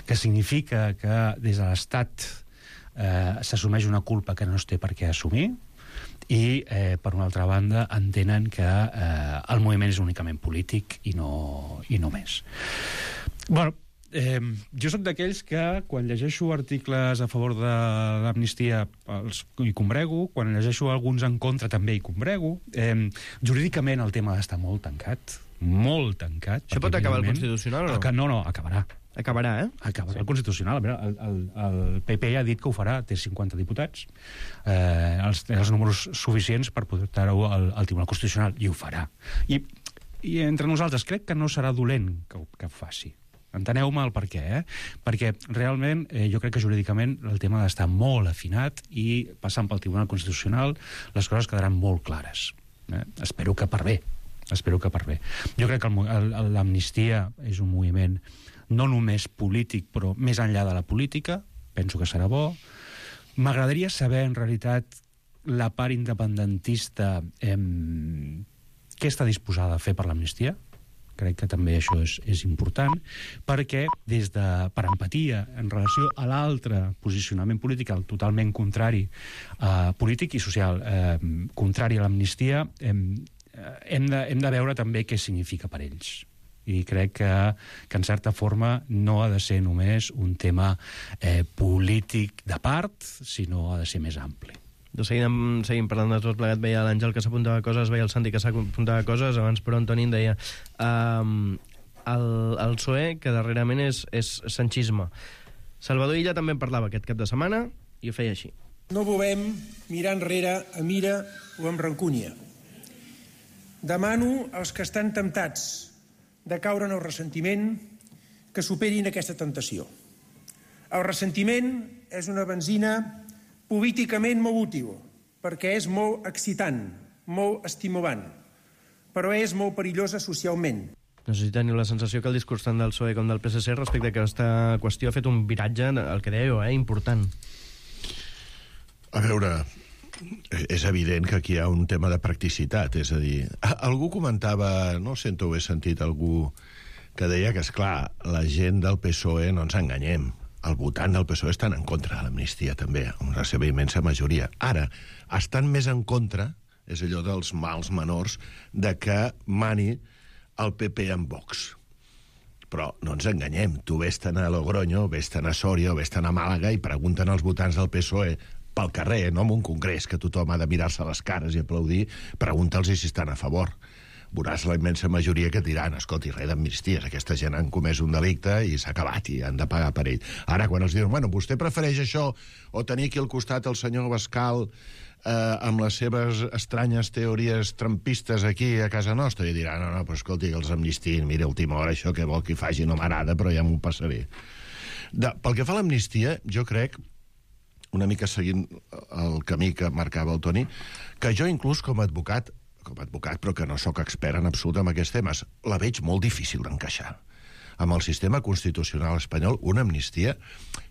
que significa que des de l'Estat eh, s'assumeix una culpa que no es té per què assumir, i, eh, per una altra banda, entenen que eh, el moviment és únicament polític i no, i no més. Bueno, eh, jo soc d'aquells que, quan llegeixo articles a favor de l'amnistia, els, hi combrego, quan llegeixo alguns en contra també hi combrego. Eh, jurídicament el tema està molt tancat, molt tancat. Això pot acabar el Constitucional o no? No, no, acabarà. Acabarà, eh? Acabarà sí. El Constitucional. El, el, el P P ha dit que ho farà, té cinquanta diputats, eh, els, els números suficients per portar-ho al, al Tribunal Constitucional, i ho farà. I, i entre nosaltres crec que no serà dolent que, que ho faci. Enteneu-me el per què, eh? Perquè realment eh, jo crec que jurídicament el tema ha d'estar molt afinat i passant pel Tribunal Constitucional les coses quedaran molt clares. Eh? Espero que per bé. Espero que per bé. Jo crec que l'amnistia és un moviment no només polític, però més enllà de la política. Penso que serà bo. M'agradaria saber, en realitat, la part independentista eh, què està disposada a fer per l'amnistia. Crec que també això és, és important, perquè des de, per empatia en relació a l'altre posicionament polític, el totalment contrari, eh, polític i social, eh, contrari a l'amnistia, eh, hem, de, hem de veure també què significa per ells. I crec que, que en certa forma no ha de ser només un tema eh, polític de part, sinó ha de ser més ampli. Doncs seguim, seguim parlant de tot plegat. Veia l'Àngel que s'apuntava coses, veia el Santi que s'apuntava coses. Abans, però, Antoni em deia um, el, el P S O E, que darrerament és, és sanchisme. Salvador Illa també en parlava aquest cap de setmana i ho feia així. No volem mirar enrere amb ira o amb rancúnia. Demano als que estan temptats de caure en el ressentiment que superin aquesta tentació. El ressentiment és una benzina políticament molt útil, perquè és molt excitant, molt estimulant, però és molt perillosa socialment. No sé si teniu la sensació que el discurs tant del P S O E com del P S C respecte a aquesta qüestió ha fet un viratge, el que dèieu, eh, important. A veure, és evident que aquí hi ha un tema de practicitat, és a dir, algú comentava, no sento, ho he sentit algú que deia que, esclar, la gent del P S O E, no ens enganyem, el votant del P S O E estan en contra de l'amnistia, també, amb la seva immensa majoria. Ara, estan més en contra, és allò dels mals menors, de que mani el P P en Vox. Però no ens enganyem, tu vés-te'n a Logroño, vés-te'n a Sòria o vés-te'n a Màlaga i pregunten als votants del P S O E pel carrer, no en un congrés que tothom ha de mirar-se les cares i aplaudir, pregunta'ls si estan a favor. Veuràs la immensa majoria que diran, escolti, res d'amnisties, aquesta gent han comès un delicte i s'ha acabat i han de pagar per ell. Ara, quan els diuen, bueno, vostè prefereix això o tenir aquí al costat el senyor Bascal eh, amb les seves estranyes teories trampistes aquí a casa nostra, i diran, no, no, però escolti, que els amnistiin, mira, a última hora això que vol que faci no m'agrada, però ja m'ho passaré. De, pel que fa a l'amnistia, jo crec, una mica seguint el camí que marcava el Toni, que jo inclús com a advocat com a advocat, però que no sóc expert en absolut en aquests temes, la veig molt difícil d'encaixar. Amb el sistema constitucional espanyol, una amnistia,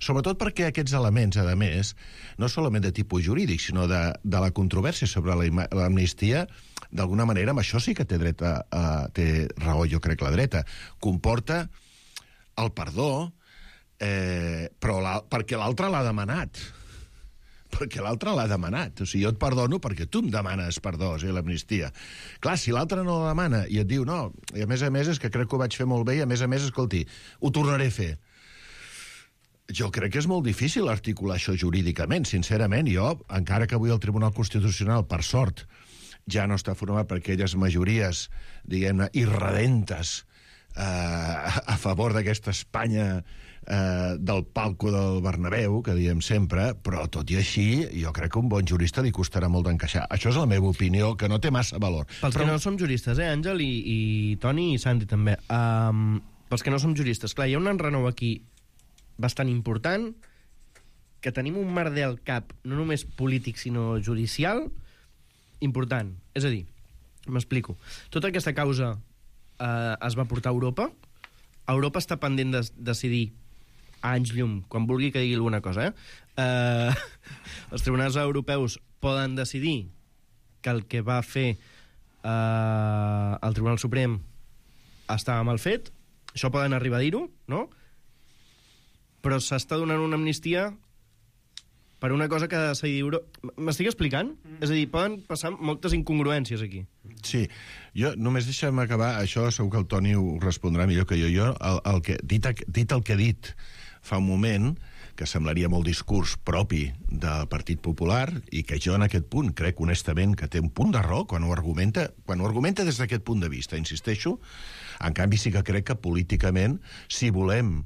sobretot perquè aquests elements, a més, no solament de tipus jurídic, sinó de, de la controvèrsia sobre l'amnistia, d'alguna manera, amb això sí que té, dreta, uh, té raó, jo crec, la dreta, comporta el perdó, eh, però la, perquè l'altre l'ha demanat. Perquè l'altre l'ha demanat. O sigui, jo et perdono perquè tu em demanes perdó, o sigui, l'amnistia. Clar, si l'altre no la demana i et diu no, i a més a més és que crec que ho vaig fer molt bé i a més a més, escolti, ho tornaré a fer. Jo crec que és molt difícil articular això jurídicament, sincerament. Jo, encara que avui el Tribunal Constitucional, per sort, ja no està format per aquelles majories, diguem-ne, irredentes eh, a favor d'aquesta Espanya Eh, del palco del Bernabéu, que diem sempre, però tot i així jo crec que un bon jurista li costarà molt d'encaixar. Això és la meva opinió, que no té massa valor. Pels però... que no som juristes, eh, Àngel, i, i Toni i Santi també. Um, pels que no som juristes, clar, hi ha un enrenou aquí bastant important, que tenim un merder al cap, no només polític, sinó judicial, important. És a dir, m'explico. Tota aquesta causa eh, es va portar a Europa. Europa està pendent de decidir a anys llum, quan vulgui que digui alguna cosa, eh? eh els tribunals europeus poden decidir que el que va fer eh, el Tribunal Suprem estava mal fet, això poden arribar a dir-ho, no? Però s'està donant una amnistia per una cosa que ha de decidir Europa. M'estic explicant? Mm. És a dir, poden passar moltes incongruències aquí. Sí, jo només deixa'm acabar, això segur que el Toni ho respondrà millor que jo. Jo, el, el que, dit, dit el que he dit fa un moment, que semblaria molt discurs propi del Partit Popular, i que jo en aquest punt crec honestament que té un punt de raó quan ho argumenta, quan ho argumenta des d'aquest punt de vista, insisteixo. En canvi sí que crec que políticament, si volem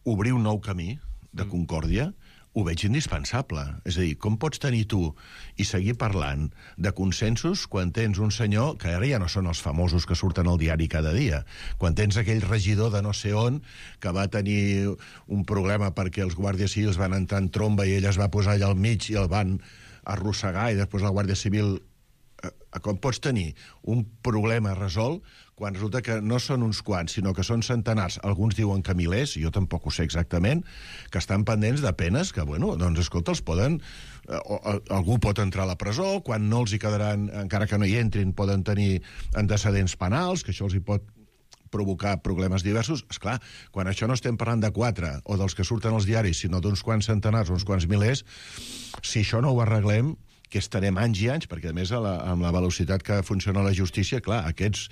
obrir un nou camí de concòrdia, ho veig indispensable. És a dir, com pots tenir tu i seguir parlant de consensos quan tens un senyor, que ara ja no són els famosos que surten al diari cada dia, quan tens aquell regidor de no sé on que va tenir un problema perquè els guàrdies civils van entrar en tromba i ell es va posar allà al mig i el van arrossegar i després la Guàrdia Civil... Com pots tenir un problema resolt quan resulta que no són uns quants, sinó que són centenars, alguns diuen que milers, jo tampoc ho sé exactament, que estan pendents de penes que, bueno, doncs, escolta, els poden... Eh, o, algú pot entrar a la presó, quan no els hi quedaran, encara que no hi entrin, poden tenir antecedents penals, que això els hi pot provocar problemes diversos. Esclar, quan això no estem parlant de quatre, o dels que surten als diaris, sinó d'uns quants centenars o uns quants milers, si això no ho arreglem, que estarem anys i anys, perquè a més a la, amb la velocitat que funciona la justícia, clar, aquests,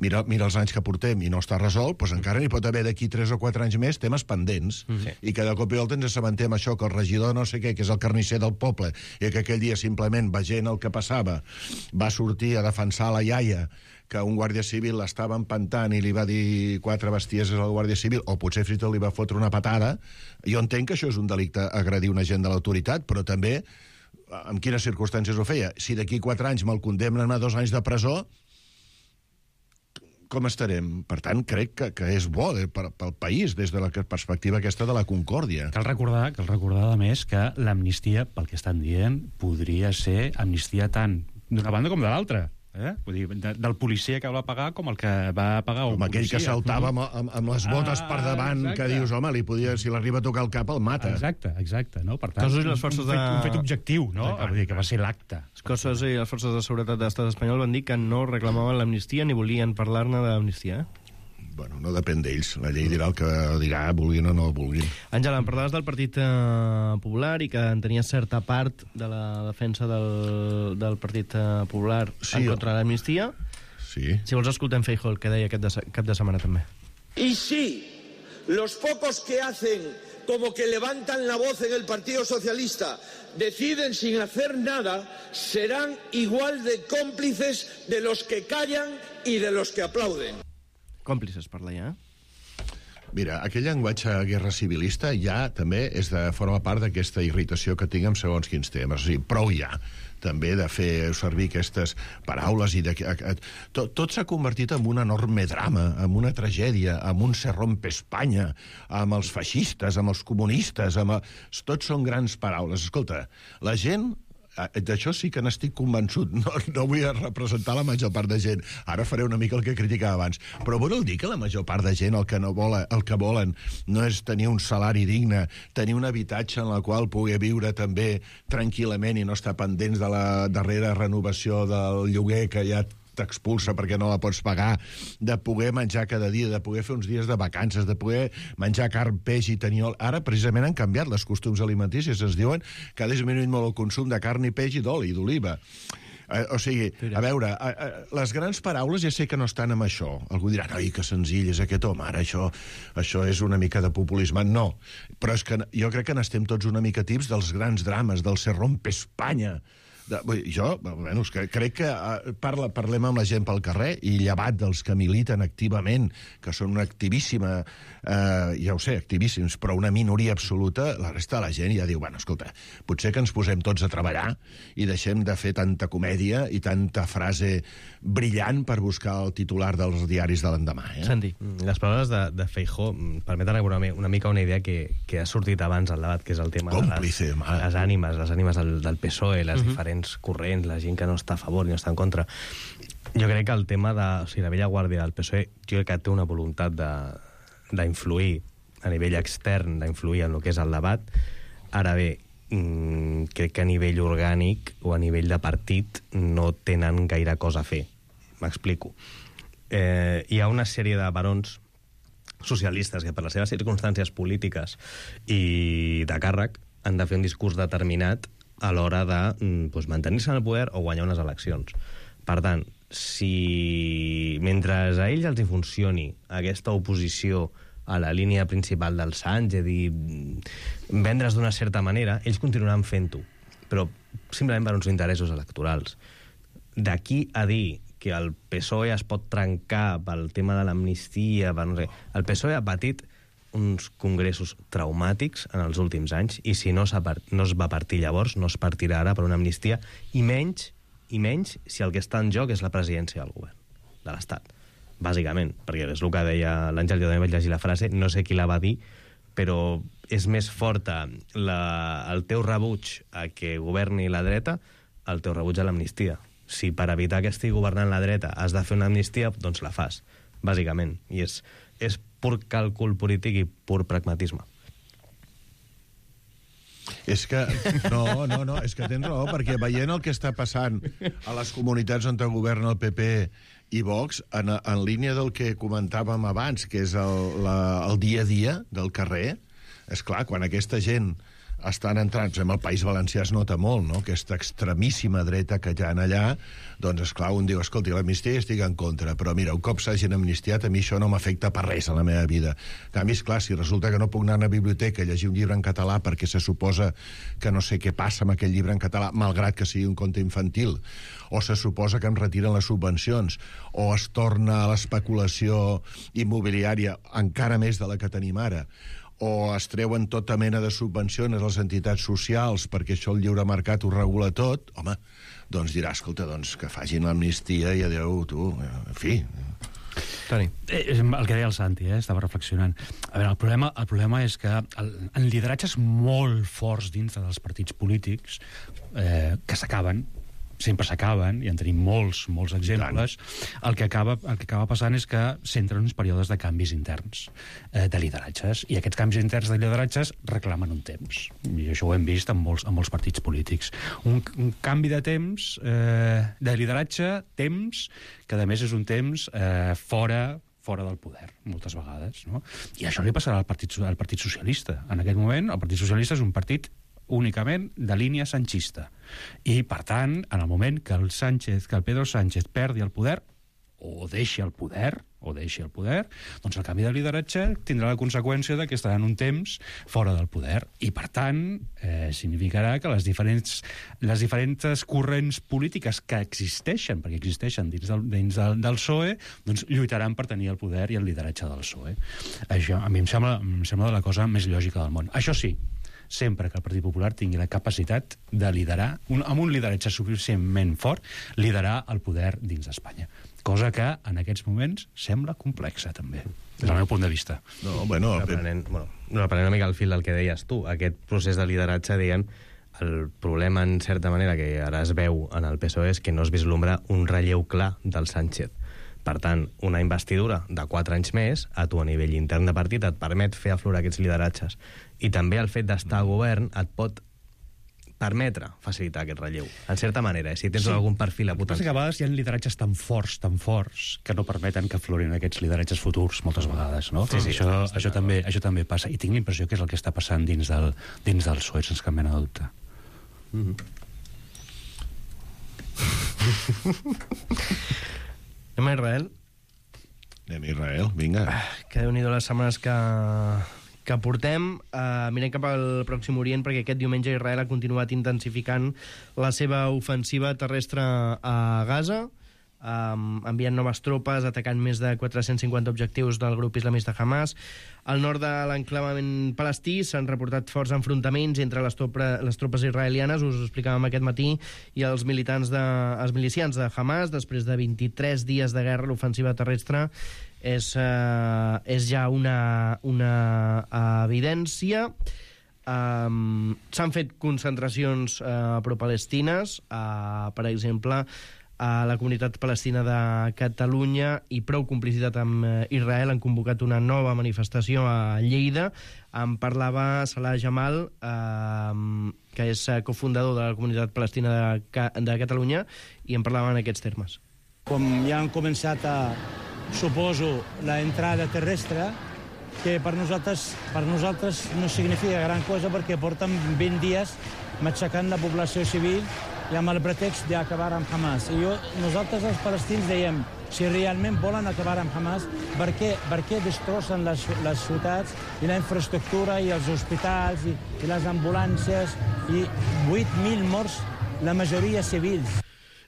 mira, mira els anys que portem i no està resolt, doncs encara n'hi pot haver d'aquí tres o quatre anys més temes pendents, sí. I que de cop i volta ens assabentem això, que el regidor no sé què, que és el carnisser del poble, i que aquell dia simplement, veient el que passava, va sortir a defensar la iaia, que un guàrdia civil l'estava empantant i li va dir quatre bestieses al guàrdia civil, o potser Frito li va fotre una patada. Jo entenc que això és un delicte agredir un agent de l'autoritat, però també en quines circumstàncies ho feia. Si d'aquí quatre anys me'l condemnen a dos anys de presó, com estarem? Per tant, crec que, que és bo eh, per, pel país, des de la perspectiva aquesta de la concòrdia. Cal recordar, cal recordar a més, que l'amnistia, pel que estan dient, podria ser amnistia tant d'una banda com de l'altra. Eh? Vull dir, de, del policia que va pagar com el que va pagar un com aquell policia. Que saltava amb, amb, amb les botes ah, per davant, exacte. Que dius, home, li podia, si l'arriba a tocar el cap, el mata. Exacte, exacte. No? Per tant, Cossos i les forces un, fet, de... un fet objectiu, no? Vull dir, que va ser l'acte. Els cossos i les forces de seguretat de l'estat espanyol van dir que no reclamaven l'amnistia ni volien parlar-ne d'amnistia, eh? Bueno, no depèn d'ells. La llei dirà el que dirà, vulguin o no vulguin. Àngela, em parlaves del Partit eh, Popular i que en tenia certa part de la defensa del, del Partit eh, Popular sí, en contra de l'amnistia. Sí. Si vols, escoltem Feijóo, el que deia aquest de, cap de setmana també. Y sí, los pocos que hacen como que levantan la voz en el Partido Socialista deciden sin hacer nada, serán igual de cómplices de los que callan y de los que aplauden. Còmplices, parla ja. Mira, aquell llenguatge guerra civilista ja també és de, forma part d'aquesta irritació que tinc amb segons quins temes. O sigui, prou ja també de fer servir aquestes paraules i de, a, a, tot, tot s'ha convertit en un enorme drama, en una tragèdia, en un se rompe Espanya, amb els feixistes, amb els comunistes, amb el... tots són grans paraules. Escolta, la gent... D'això sí que n'estic convençut. No, no vull representar la major part de gent. Ara faré una mica el que criticava abans. Però vol dir que la major part de gent el que, no vol, el que volen no és tenir un salari digne, tenir un habitatge en el qual pugui viure també tranquil·lament i no estar pendents de la darrera renovació del lloguer que ja t'expulsa perquè no la pots pagar, de poder menjar cada dia, de poder fer uns dies de vacances, de poder menjar carn, peix i tenir... Ara, precisament, han canviat les costums alimenticis. Ens diuen que ha disminuït molt el consum de carn i peix i d'oli, d'oliva. Eh, o sigui, a veure, a, a, les grans paraules ja sé que no estan amb això. Algú dirà, ai, que senzill és aquest home, ara això, això és una mica de populisme. No, però és que jo crec que n'estem tots una mica tips dels grans drames, del se rompe Espanya. De, jo, bueno, que crec que uh, parla, parlem amb la gent pel carrer i llevat dels que militen activament, que són una activíssima, uh, ja ho sé, activíssims, però una minoria absoluta, la resta de la gent ja diu, bueno, escolta, potser que ens posem tots a treballar i deixem de fer tanta comèdia i tanta frase brillant per buscar el titular dels diaris de l'endemà. Eh? Santi. Les paraules de, de Feijóo permeten una, una mica una idea que, que ha sortit abans al debat, que és el tema Còmplice, de les, les ànimes, les ànimes del, del P S O E, les uh -huh. diferents corrents, la gent que no està a favor i no està en contra. Jo crec que el tema de... O sigui, la vella guàrdia del P S O E, jo crec que té una voluntat d'influir a nivell extern, d'influir en el que és el debat. Ara bé, mmm, crec que a nivell orgànic o a nivell de partit no tenen gaire cosa a fer. M'explico. Eh, hi ha una sèrie de barons socialistes que per les seves circumstàncies polítiques i de càrrec han de fer un discurs determinat a l'hora de doncs, mantenir-se en el poder o guanyar unes eleccions. Per tant, si mentre a ells els hi funcioni aquesta oposició a la línia principal del Sánchez i vendre's d'una certa manera, ells continuaran fent-ho, però simplement per uns interessos electorals. D'aquí a dir que el P S O E es pot trencar pel tema de l'amnistia, per no sé, el P S O E ha patit uns congressos traumàtics en els últims anys, i si no, no es va partir llavors, no es partirà ara per una amnistia, i menys, i menys si el que està en joc és la presidència del govern, de l'Estat, bàsicament, perquè és el que deia l'Àngel, jo també vaig llegir la frase, no sé qui la va dir, però és més forta la, el teu rebuig a que governi la dreta, el teu rebuig a l'amnistia. Si per evitar que estigui governant la dreta has de fer una amnistia, doncs la fas, bàsicament, i és és pur càlcul polític i pur pragmatisme. És que, no, no, no, és que tens raó, perquè veient el que està passant a les comunitats on governa el P P i Vox, en, en línia del que comentàvem abans, que és el, la, el dia a dia del carrer, és clar, quan aquesta gent estan entrant, en el País Valencià es nota molt, no?, aquesta extremíssima dreta que hi ha allà, doncs, esclar, un diu, escolti, l'amnistia estic en contra, però mira, un cop s'hagin amnistiat, a mi això no m'afecta per res a la meva vida. En canvi, esclar, si resulta que no puc anar a una biblioteca a llegir un llibre en català perquè se suposa que no sé què passa amb aquell llibre en català, malgrat que sigui un conte infantil, o se suposa que em retiren les subvencions, o es torna a l'especulació immobiliària encara més de la que tenim ara, o es treuen tota mena de subvencions a les entitats socials perquè això el lliure mercat ho regula tot, home, doncs dirà, escolta, doncs que facin l'amnistia i adeu, tu, en fi. Toni. Eh, el que deia el Santi, eh, estava reflexionant. A veure, el problema, el problema és que el, en lideratges molt forts dins dels partits polítics eh, que s'acaben, sempre s'acaben, i en tenim molts, molts exemples, el que, acaba, el que acaba passant és que s'entren uns períodes de canvis interns eh, de lideratges, i aquests canvis interns de lideratges reclamen un temps, i això ho hem vist en molts, en molts partits polítics. Un, un canvi de temps, eh, de lideratge, temps, que a més és un temps eh, fora fora del poder, moltes vegades, no? I això li passarà al Partit, al Partit Socialista. En aquest moment, el Partit Socialista és un partit únicament de línia sanchista. I, per tant, en el moment que el Sánchez, que el Pedro Sánchez perdi el poder, o deixi el poder, o deixi el poder, doncs el canvi de lideratge tindrà la conseqüència de que estaran un temps fora del poder. I, per tant, eh, significarà que les diferents, les diferents corrents polítiques que existeixen, perquè existeixen dins del, dins del, del P S O E, doncs lluitaran per tenir el poder i el lideratge del P S O E. Això a mi em sembla, em sembla la cosa més lògica del món. Això sí, sempre que el Partit Popular tingui la capacitat de liderar, un, amb un lideratge suficientment fort, liderar el poder dins d'Espanya. Cosa que, en aquests moments, sembla complexa, també, des del meu punt de vista. No, bueno... Reprenent, bueno, reprenent una mica el fil del que deies tu, aquest procés de lideratge, deien, el problema, en certa manera, que ara es veu en el P S O E és que no es vislumbra un relleu clar del Sánchez. Per tant, una investidura de quatre anys més, a tu a nivell intern de partit, et permet fer aflorar aquests lideratges. I també el fet d'estar a govern et pot permetre facilitar aquest relleu, en certa manera, eh? Si tens sí. algun perfil a potenciar. Que a vegades hi ha lideratges tan forts, tan forts, que no permeten que aflorin aquests lideratges futurs, moltes vegades, no? Sí, sí, això, això, això, també, això també passa. I tinc la impressió que és el que està passant dins del, dins del P S O E, sense cap mena de dubte. Mm-hmm. Anem a Israel? Anem a Israel, vinga. Ah, que déu-n'hi-do les setmanes que, que portem. Uh, mirem cap al Pròxim Orient, perquè aquest diumenge Israel ha continuat intensificant la seva ofensiva terrestre a Gaza, um, enviant noves tropes, atacant més de quatre-cents cinquanta objectius del grup islamista Hamas. Al nord de l'enclavament palestí s'han reportat forts enfrontaments entre les, topra, les tropes israelianes, us ho explicàvem aquest matí, i els militants de, els milicians de Hamas. Després de vint-i-tres dies de guerra, l'ofensiva terrestre és, uh, és ja una, una evidència. Um, s'han fet concentracions uh, pro-palestines, uh, per exemple, a la comunitat palestina de Catalunya i prou complicitat amb Israel han convocat una nova manifestació a Lleida. En parlava Salah Jamal, eh, que és cofundador de la comunitat palestina de, de Catalunya, i en parlava en aquests termes. Com ja han començat a, suposo, la entrada terrestre, que per nosaltres, per nosaltres no significa gran cosa perquè porten vint dies matxacant la població civil i amb el pretext d'acabar amb Hamas. I jo, nosaltres els palestins dèiem, si realment volen acabar amb Hamas, per què, per què destrossen les, les ciutats i la infraestructura i els hospitals i, i les ambulàncies i vuit mil morts, la majoria civils?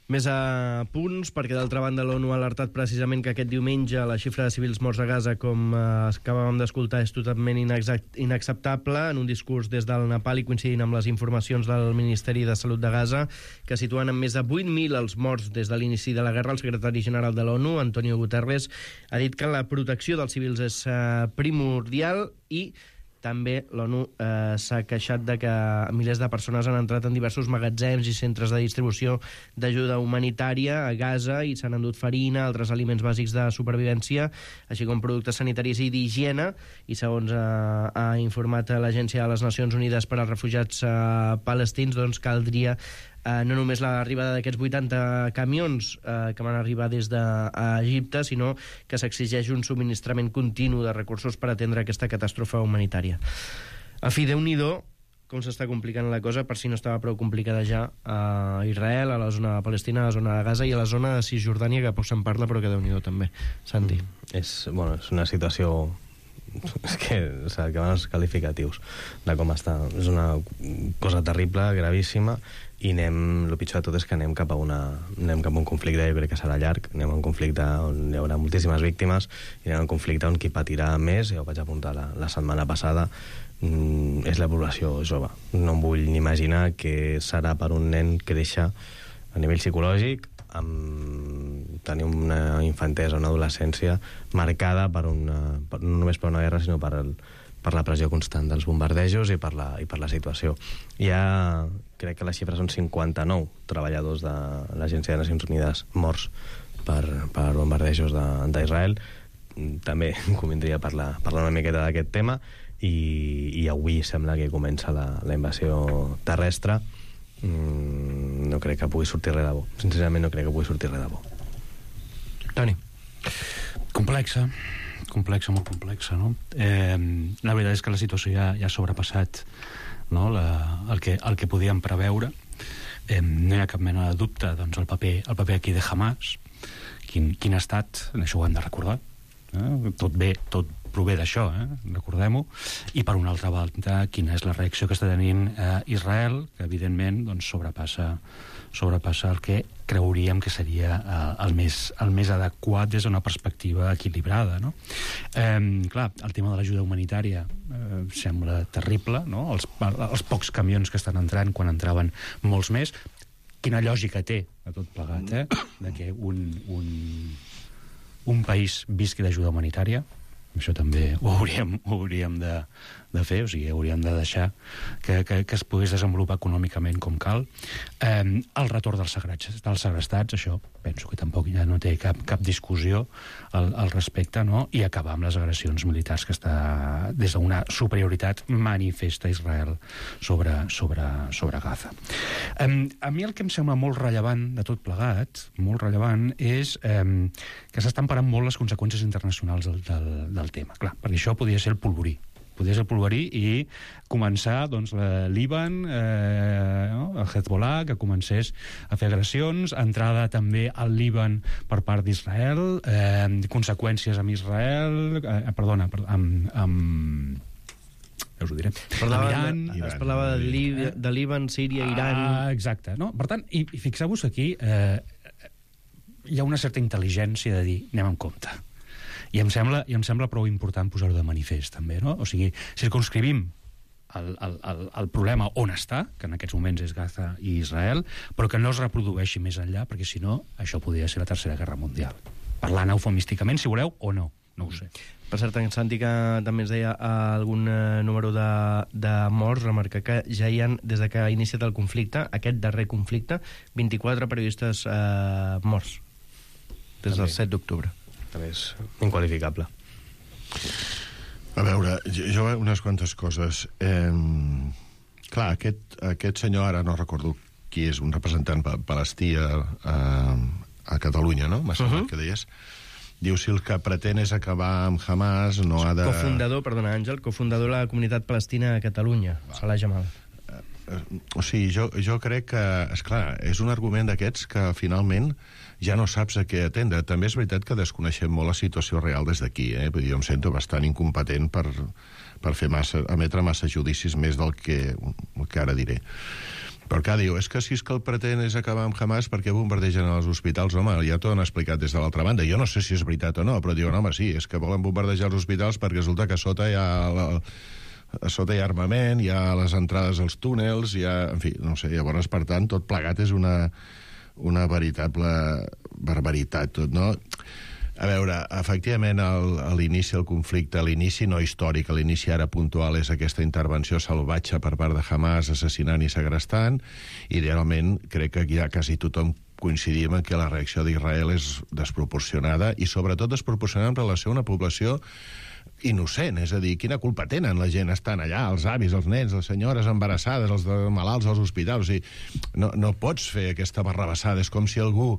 Més a punts, perquè d'altra banda l'ONU ha alertat precisament que aquest diumenge la xifra de civils morts a Gaza, com eh, acabàvem d'escoltar, és totalment inacceptable. En un discurs des del Nepal i coincidint amb les informacions del Ministeri de Salut de Gaza, que situen en més de vuit mil els morts des de l'inici de la guerra, el secretari general de l'ONU, Antonio Guterres, ha dit que la protecció dels civils és eh, primordial i també l'ONU eh, s'ha queixat de que milers de persones han entrat en diversos magatzems i centres de distribució d'ajuda humanitària a Gaza i s'han endut farina, altres aliments bàsics de supervivència, així com productes sanitaris i d'higiene. I segons eh, ha informat l'Agència de les Nacions Unides per als Refugiats eh, Palestins, doncs caldria eh, no només l'arribada d'aquests vuitanta camions eh, que van arribar des d'Egipte, sinó que s'exigeix un subministrament continu de recursos per atendre aquesta catàstrofe humanitària. A fi, Déu-n'hi-do com s'està complicant la cosa, per si no estava prou complicada ja a Israel, a la zona de Palestina, a la zona de Gaza i a la zona de Cisjordània, que poc se'n parla, però que Déu-n'hi-do també. Santi. Mm. És, bueno, és una situació... és que s'acaben els qualificatius de com està. És una cosa terrible, gravíssima, i anem, el pitjor de tot és que anem cap a una, anem cap a un conflicte, jo crec que serà llarg, anem a un conflicte on hi haurà moltíssimes víctimes, i anem a un conflicte on qui patirà més, ja ho vaig apuntar la, la setmana passada, mm, és la població jove. No em vull ni imaginar què serà per un nen créixer a nivell psicològic, amb tenir una infantesa, una adolescència marcada per una, per, no només per una guerra, sinó per, el, per la pressió constant dels bombardejos i per la, i per la situació. Hi ha, crec que les xifres són cinquanta-nou treballadors de l'Agència de Nacions Unides morts per, per bombardejos d'Israel. També convindria parlar, parlar una miqueta d'aquest tema, i, i avui sembla que comença la, la invasió terrestre. Mm, no crec que pugui sortir res de bo. Sincerament no crec que pugui sortir res de bo. Toni. Complexa, complexa, molt complexa, no? Eh, la veritat és que la situació ja, ja ha sobrepassat, no? la, el, que, el que podíem preveure. Eh, no hi ha cap mena de dubte, doncs, el paper, el paper aquí de Hamas, quin, quin ha estat, això ho hem de recordar. Eh? Tot bé, tot prové d'això, eh? Recordem-ho. I per una altra banda, quina és la reacció que està tenint eh, Israel, que evidentment doncs, sobrepassa, sobrepassa el que creuríem que seria eh, el, més, el més adequat des d'una perspectiva equilibrada, no? Eh, clar, el tema de l'ajuda humanitària eh, sembla terrible, no? Els, els pocs camions que estan entrant, quan entraven molts més. Quina lògica té a tot plegat, eh? De que un, un, un país visqui d'ajuda humanitària. Això també ho hauríem, ho hauríem de, de fer, o sigui, hauríem de deixar que, que, que es pogués desenvolupar econòmicament com cal. Eh, el retorn dels segrestats, dels segrestats, això penso que tampoc ja no té cap, cap discussió al, al respecte, no? I acabar amb les agressions militars que està des d'una superioritat manifesta a Israel sobre, sobre, sobre Gaza. Eh, a mi el que em sembla molt rellevant de tot plegat, molt rellevant, és eh, que s'estan parant molt les conseqüències internacionals del, del, del tema. Clar, perquè això podria ser el polvorí. Podria ser el polvorí i començar, doncs, la Líban, eh, no? el Hezbollah, que comencés a fer agressions, entrada també al Líban per part d'Israel, eh, conseqüències amb Israel, eh, perdona, amb... amb ja us ho diré. Parlava, Iran, es parlava de, Lí de Líban, Síria, Iran... Ah, exacte. No? Per tant, i, i fixeu-vos aquí, eh, hi ha una certa intel·ligència de dir, anem amb compte. I em sembla, i em sembla prou important posar-ho de manifest, també, no? O sigui, circumscrivim el, el, el, el problema on està, que en aquests moments és Gaza i Israel, però que no es reprodueixi més enllà, perquè si no, això podria ser la Tercera Guerra Mundial. Parlant eufemísticament, si voleu, o no. No ho sé. Per cert, en Santi, que també ens deia algun eh, número de, de morts, remarcar que ja hi ha, des de que ha iniciat el conflicte, aquest darrer conflicte, vint-i-quatre periodistes eh, morts, des del set d'octubre. També és inqualificable. A veure, jo unes quantes coses. Eh, clar, aquest, aquest senyor, ara no recordo qui és, un representant palestí a, a, a Catalunya, no? M'ha semblat uh -huh. que deies. Diu, si el que pretén és acabar amb Hamas, no ha de... Cofundador, perdona, Àngel, cofundador de la comunitat palestina a Catalunya, Salah Jamal. O sigui, jo, jo crec que, esclar, és un argument d'aquests que finalment ja no saps a què atendre. També és veritat que desconeixem molt la situació real des d'aquí, eh? Vull dir, jo em sento bastant incompetent per, per fer massa, emetre massa judicis més del que, el que ara diré. Però clar, diu, és que si és que el pretén és acabar amb Hamas, perquè bombardegen els hospitals? Home, ja t'ho han explicat des de l'altra banda. Jo no sé si és veritat o no, però diuen, home, sí, és que volen bombardejar els hospitals perquè resulta que a sota hi ha... La, a sota hi ha armament, hi ha les entrades als túnels, hi ha... En fi, no sé, llavors, per tant, tot plegat és una, una veritable barbaritat, tot, no? A veure, efectivament, el, a l'inici del conflicte, a l'inici no històric, a l'inici ara puntual, és aquesta intervenció salvatge per part de Hamas, assassinant i segrestant. Idealment, crec que ja quasi tothom coincidim en que la reacció d'Israel és desproporcionada, i sobretot desproporcionada en relació a una població innocent, és a dir, quina culpa tenen la gent estan allà, els avis, els nens, les senyores embarassades, els malalts als hospitals, o sigui, no, no pots fer aquesta barrabassada, és com si algú,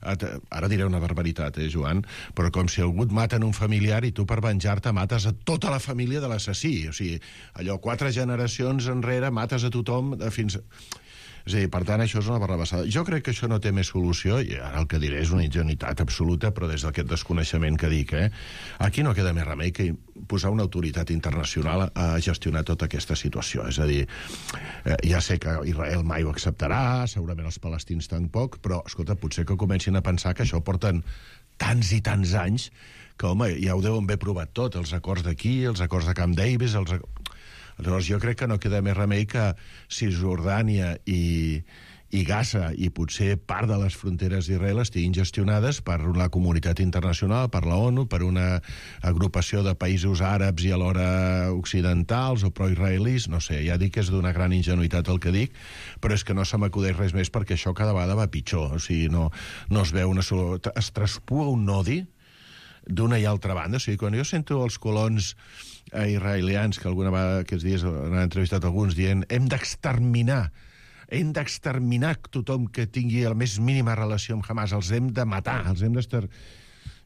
ara diré una barbaritat, eh, Joan, però com si algú et mata en un familiar i tu per venjar-te mates a tota la família de l'assassí, o sigui, allò, quatre generacions enrere mates a tothom fins... És a dir, per tant, això és una barrabassada. Jo crec que això no té més solució, i ara el que diré és una ingenuïtat absoluta, però des d'aquest desconeixement que dic, eh? Aquí no queda més remei que posar una autoritat internacional a gestionar tota aquesta situació. És a dir, eh, ja sé que Israel mai ho acceptarà, segurament els palestins tampoc, però, escolta, potser que comencin a pensar que això porten tants i tants anys que, home, ja ho deuen haver provat tot, els acords d'aquí, els acords de Camp Davis, els acords... Llavors jo crec que no queda més remei que Cisjordània i, i Gaza i potser part de les fronteres d'Israel estiguin gestionades per la comunitat internacional, per la ONU, per una agrupació de països àrabs i alhora occidentals o proisraelis, no sé, ja dic que és d'una gran ingenuïtat el que dic, però és que no se m'acudeix res més perquè això cada vegada va pitjor, o sigui, no, no es veu una sola... Es traspua un odi d'una i altra banda, o sigui, quan jo sento els colons eh, israelians, que alguna vegada aquests dies han entrevistat alguns, dient hem d'exterminar, hem d'exterminar tothom que tingui la més mínima relació amb Hamas, els hem de matar, els hem d'estar...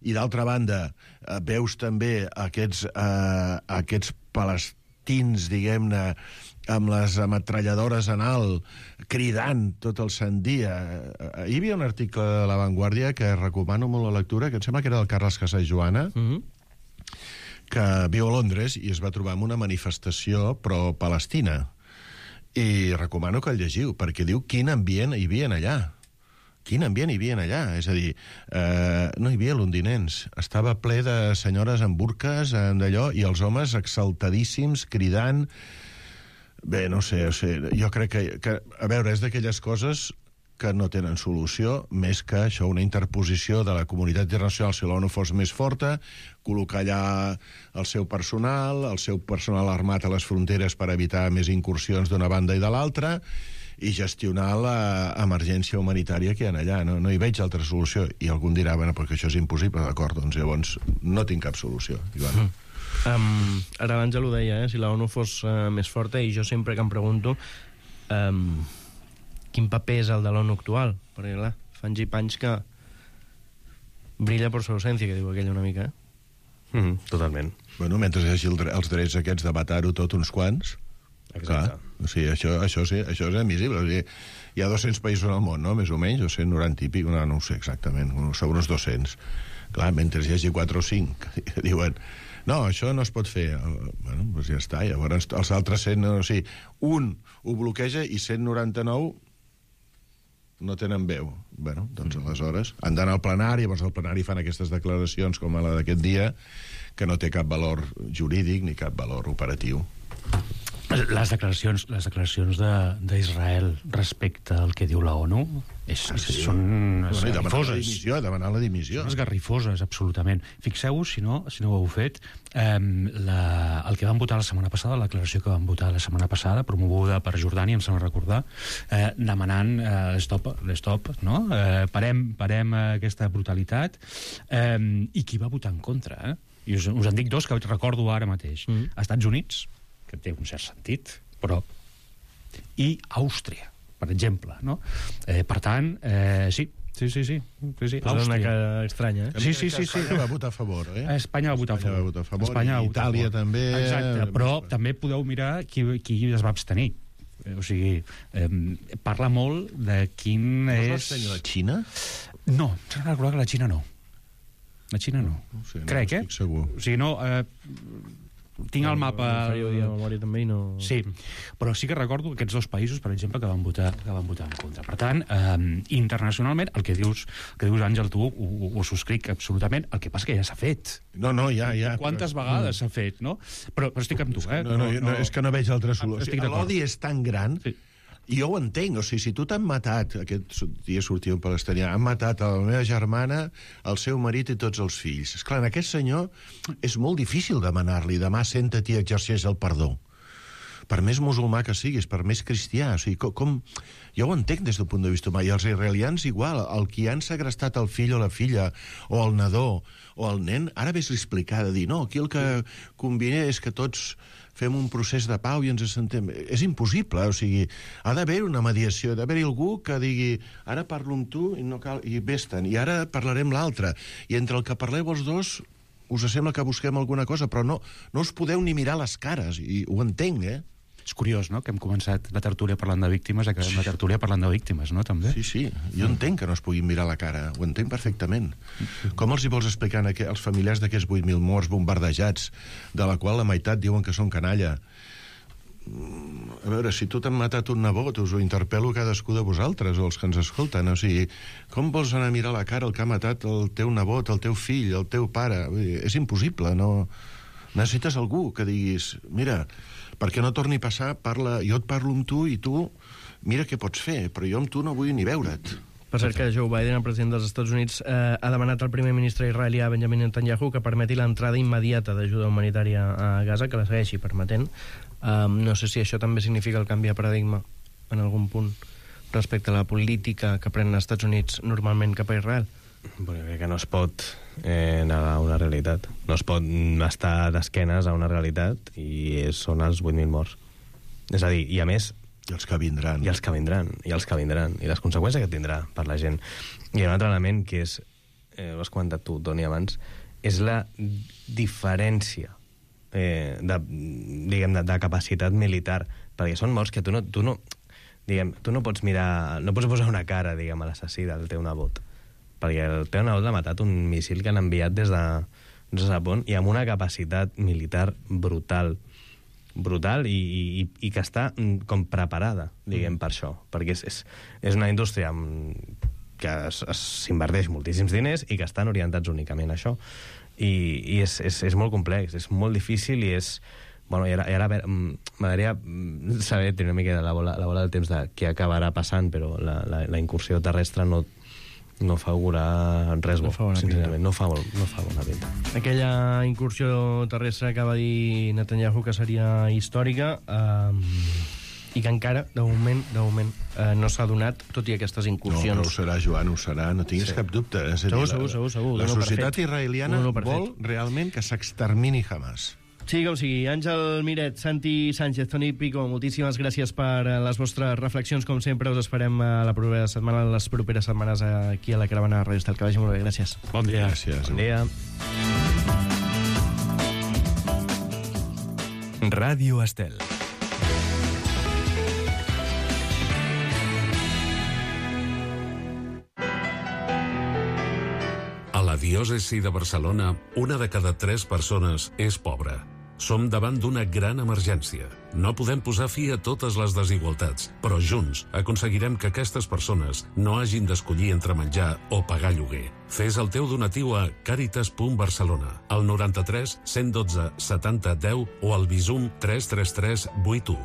I d'altra banda, eh, veus també aquests, eh, aquests palestins, diguem-ne, amb les ametralladores en alt, cridant tot el sant dia. Hi havia un article de La Vanguardia que recomano molt la lectura, que em sembla que era del Carles Casas Joana, mm-hmm. que viu a Londres i es va trobar amb una manifestació pro-palestina. I recomano que el llegiu, perquè diu quin ambient hi havia allà. Quin ambient hi havia allà. És a dir, eh, no hi havia londinencs. Estava ple de senyores amb burques, d'allò, i els homes exaltadíssims, cridant... Bé, no sé, o sigui, jo crec que, que... A veure, és d'aquelles coses que no tenen solució, més que això, una interposició de la comunitat internacional, si l'ONU fos més forta, col·locar allà el seu personal, el seu personal armat a les fronteres per evitar més incursions d'una banda i de l'altra, i gestionar l'emergència humanitària que hi ha allà. No, no hi veig altra solució. I algú dirà, bueno, perquè això és impossible, d'acord, doncs llavors no tinc cap solució. I bueno... Mm. Um, ara abans ja l'ho deia, eh? Si la ONU fos uh, més forta, i jo sempre que em pregunto um, quin paper és el de l'ONU actual, perquè clar, fa anys i panys que brilla per su ausència, que diu aquell una mica, eh? Mm, totalment. Bueno, mentre hi hagi el, els drets aquests de matar-ho tot uns quants, clar, o sigui, això, això, sí, això és admissible. O sigui, hi ha dos-cents països al món, no?, més o menys, o cent noranta i pic, no, no ho sé exactament, són uns dos-cents. Clar, mentre hi hagi quatre o cinc que diuen... No, això no es pot fer. Bueno, doncs ja està. Llavors, els altres cent... O sigui, un ho bloqueja i cent noranta-nou no tenen veu. Bueno, doncs aleshores han d'anar al plenari, llavors al plenari fan aquestes declaracions com la d'aquest dia, que no té cap valor jurídic ni cap valor operatiu. Les declaracions, les declaracions d'Israel respecte al que diu la ONU és, ah, sí. són bueno, esgarrifoses. La dimissió, demanar la dimissió. Són esgarrifoses, absolutament. Fixeu-vos, si no, si no ho heu fet, eh, la, el que vam votar la setmana passada, la declaració que vam votar la setmana passada, promoguda per Jordània, em sembla recordar, eh, demanant eh, stop, stop, no? Eh, parem, parem aquesta brutalitat, eh, i qui va votar en contra, eh? I us, us en dic dos que recordo ara mateix. Mm. Estats Units, que té un cert sentit, però... i Àustria, per exemple, no? Eh, per tant, eh, sí, sí, sí, sí. sí, sí. Però és una cosa estranya, eh? Sí, sí, sí, sí. Espanya va votar a favor, eh? Espanya va votar a favor. Espanya va votar a favor, Espanya i Itàlia també... Exacte, però també podeu mirar qui, qui es va abstenir. O sigui, eh, parla molt de quin no és... No es va abstenir la Xina? No, s'ha de recordar que la Xina no. La Xina no. no sé, no Crec, eh? Estic segur. O sigui, no... Eh, tinc el mapa... Faríeu dia de memòria també i no... Sí, però sí que recordo aquests dos països, per exemple, que van votar, que van votar en contra. Per tant, eh, internacionalment, el que dius, el que dius Àngel, tu ho, ho subscric absolutament, el que passa que ja s'ha fet. No, no, ja, ja. Quantes però... vegades s'ha fet, no? Però, però estic amb tu, eh? No, no, no, no, és que no veig altra solució. L'odi és tan gran... Sí. I jo ho entenc, o sigui, si tu t'han matat, aquest dia sortia un palestinià, han matat a la meva germana, el seu marit i tots els fills. Esclar, en aquest senyor és molt difícil demanar-li, demà senta-t'hi i exerceix el perdó. Per més musulmà que siguis, per més cristià, o sigui, com, com... Jo ho entenc des del punt de vista humà, i els israelians igual, el qui han segrestat el fill o la filla, o el nadó, o el nen, ara ves-li explicar, de dir, no, aquí el que conviene és que tots fem un procés de pau i ens assentem. És impossible, o sigui, ha d'haver una mediació, ha d'haver-hi algú que digui ara parlo amb tu i no cal, i vés-te'n, i ara parlarem l'altre. I entre el que parleu els dos us sembla que busquem alguna cosa, però no, no us podeu ni mirar les cares, i ho entenc, eh? És curiós, no?, que hem començat la tertúlia parlant de víctimes, acabem la tertúlia parlant de víctimes, no?, també. Sí, sí, jo entenc que no es puguin mirar la cara, ho entenc perfectament. Com els hi vols explicar als familiars d'aquests vuit mil morts bombardejats, de la qual la meitat diuen que són canalla? A veure, si tu t'han matat un nebot, us ho interpel·lo cadascú de vosaltres, o els que ens escolten, o sigui, com vols anar a mirar la cara el que ha matat el teu nebot, el teu fill, el teu pare? Vull dir, és impossible, no... Necessites algú que diguis, mira, perquè no torni a passar, parla, jo et parlo amb tu i tu mira què pots fer, però jo amb tu no vull ni veure't. Per cert que Joe Biden, el president dels Estats Units, eh, ha demanat al primer ministre israelià Benjamin Netanyahu que permeti l'entrada immediata d'ajuda humanitària a Gaza, que la segueixi permetent. Eh, no sé si això també significa el canvi de paradigma en algun punt respecte a la política que prenen els Estats Units normalment cap a Israel. Bueno, crec que no es pot eh, negar una realitat. No es pot estar d'esquenes a una realitat i són els vuit mil morts. És a dir, i a més... I els que vindran. I els que vindran, i els que vindran, i les conseqüències que tindrà per la gent. I un altre element que és, eh, ho has comentat tu, Toni, abans, és la diferència eh, de, diguem, de, de capacitat militar, perquè són morts que tu no, tu no, diguem, tu no pots mirar, no pots posar una cara, diguem, a l'assassí del teu nebot, perquè el teu nebot l'ha matat un míssil que han enviat des de, des de Japó i amb una capacitat militar brutal, brutal i, i, i que està com preparada, diguem, per això, perquè és, és, és una indústria que s'inverteix moltíssims diners i que estan orientats únicament a això, i, i és, és, és molt complex, és molt difícil i és... Bueno, i ara, i ara m'agradaria saber, tenir una mica la bola, la bola del temps de què acabarà passant, però la, la, la incursió terrestre no no fa augurar res bo, no sincerament, no fa, no fa bona pinta. Aquella incursió terrestre que va dir Netanyahu que seria històrica eh, i que encara, de moment, de moment eh, no s'ha donat, tot i aquestes incursions. No, però ho serà, Joan, ho serà, no tinguis sí. cap dubte. És a dir, segur, segur, segur, segur. La, la societat israeliana vol realment que s'extermini Hamas. Sí, com sigui. Àngel Miret, Santi Sánchez, Toni Pico, moltíssimes gràcies per les vostres reflexions. Com sempre, us esperem a la propera setmana, les properes setmanes aquí a la Caravana de Ràdio Estel. Que vagi molt bé, gràcies. Bon dia. Gràcies. Bon dia. Ràdio Estel. A la diòcesi de Barcelona, una de cada tres persones és pobra. Som davant d'una gran emergència. No podem posar fi a totes les desigualtats, però junts aconseguirem que aquestes persones no hagin d'escollir entre menjar o pagar lloguer. Fes el teu donatiu a càritas punt barcelona, al noranta-tres cent dotze setanta deu o al Bizum tres tres tres vuit u.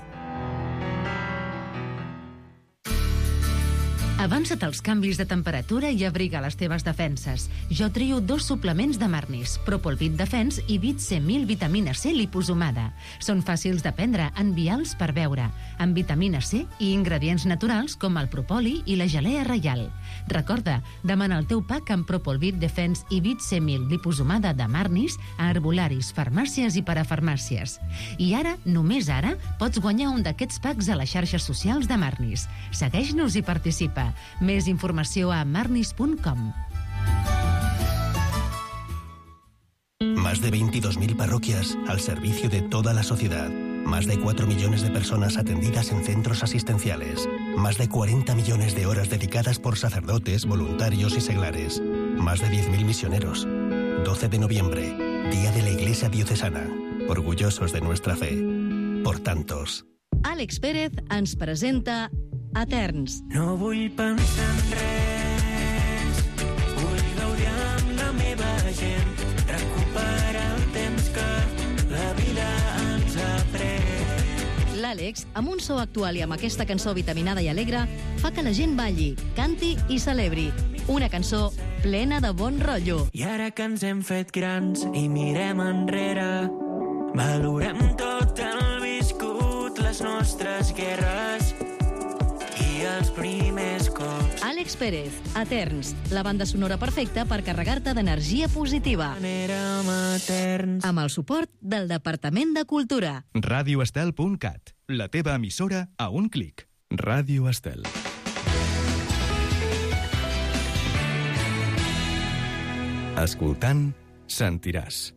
Avança't als canvis de temperatura i abriga les teves defenses. Jo trio dos suplements de Marnis, Propolvit Defense i Vit C mil vitamina C liposomada. Són fàcils de prendre, envials per beure, amb vitamina C i ingredients naturals com el propoli i la gelea reial. Recorda, demana el teu pack amb Propolvit Defense i Vit C mil liposomada de Marnis a herbolaris, farmàcies i parafarmàcies. I ara, només ara, pots guanyar un d'aquests packs a les xarxes socials de Marnis. Segueix-nos i participa. Més informació a marnis punt com. Más de veintidós mil parroquias al servicio de toda la sociedad. Más de cuatro millones de personas atendidas en centros asistenciales. Más de cuarenta millones de horas dedicadas por sacerdotes, voluntarios y seglares. Más de diez mil misioneros. doce de noviembre, Día de la Iglesia Diocesana. orgullosos de nuestra fe. Por tantos. Àlex Pérez ens presenta Eterns. No vull pensar en res, vull gaudir amb la meva gent, recuperar el temps que la vida ens ha pres. L'Àlex, amb un so actual i amb aquesta cançó vitaminada i alegre, fa que la gent balli, canti i celebri. Una cançó plena de bon rotllo. I ara que ens hem fet grans i mirem enrere, valorem tot el viscut, les nostres guerres i els primers cops. Àlex Pérez, Eterns, la banda sonora perfecta per carregar-te d'energia positiva. Érem eterns. Amb el suport del Departament de Cultura. radioestel punt cat, la teva emissora a un clic. Ràdio Estel. Escoltant, sentiràs.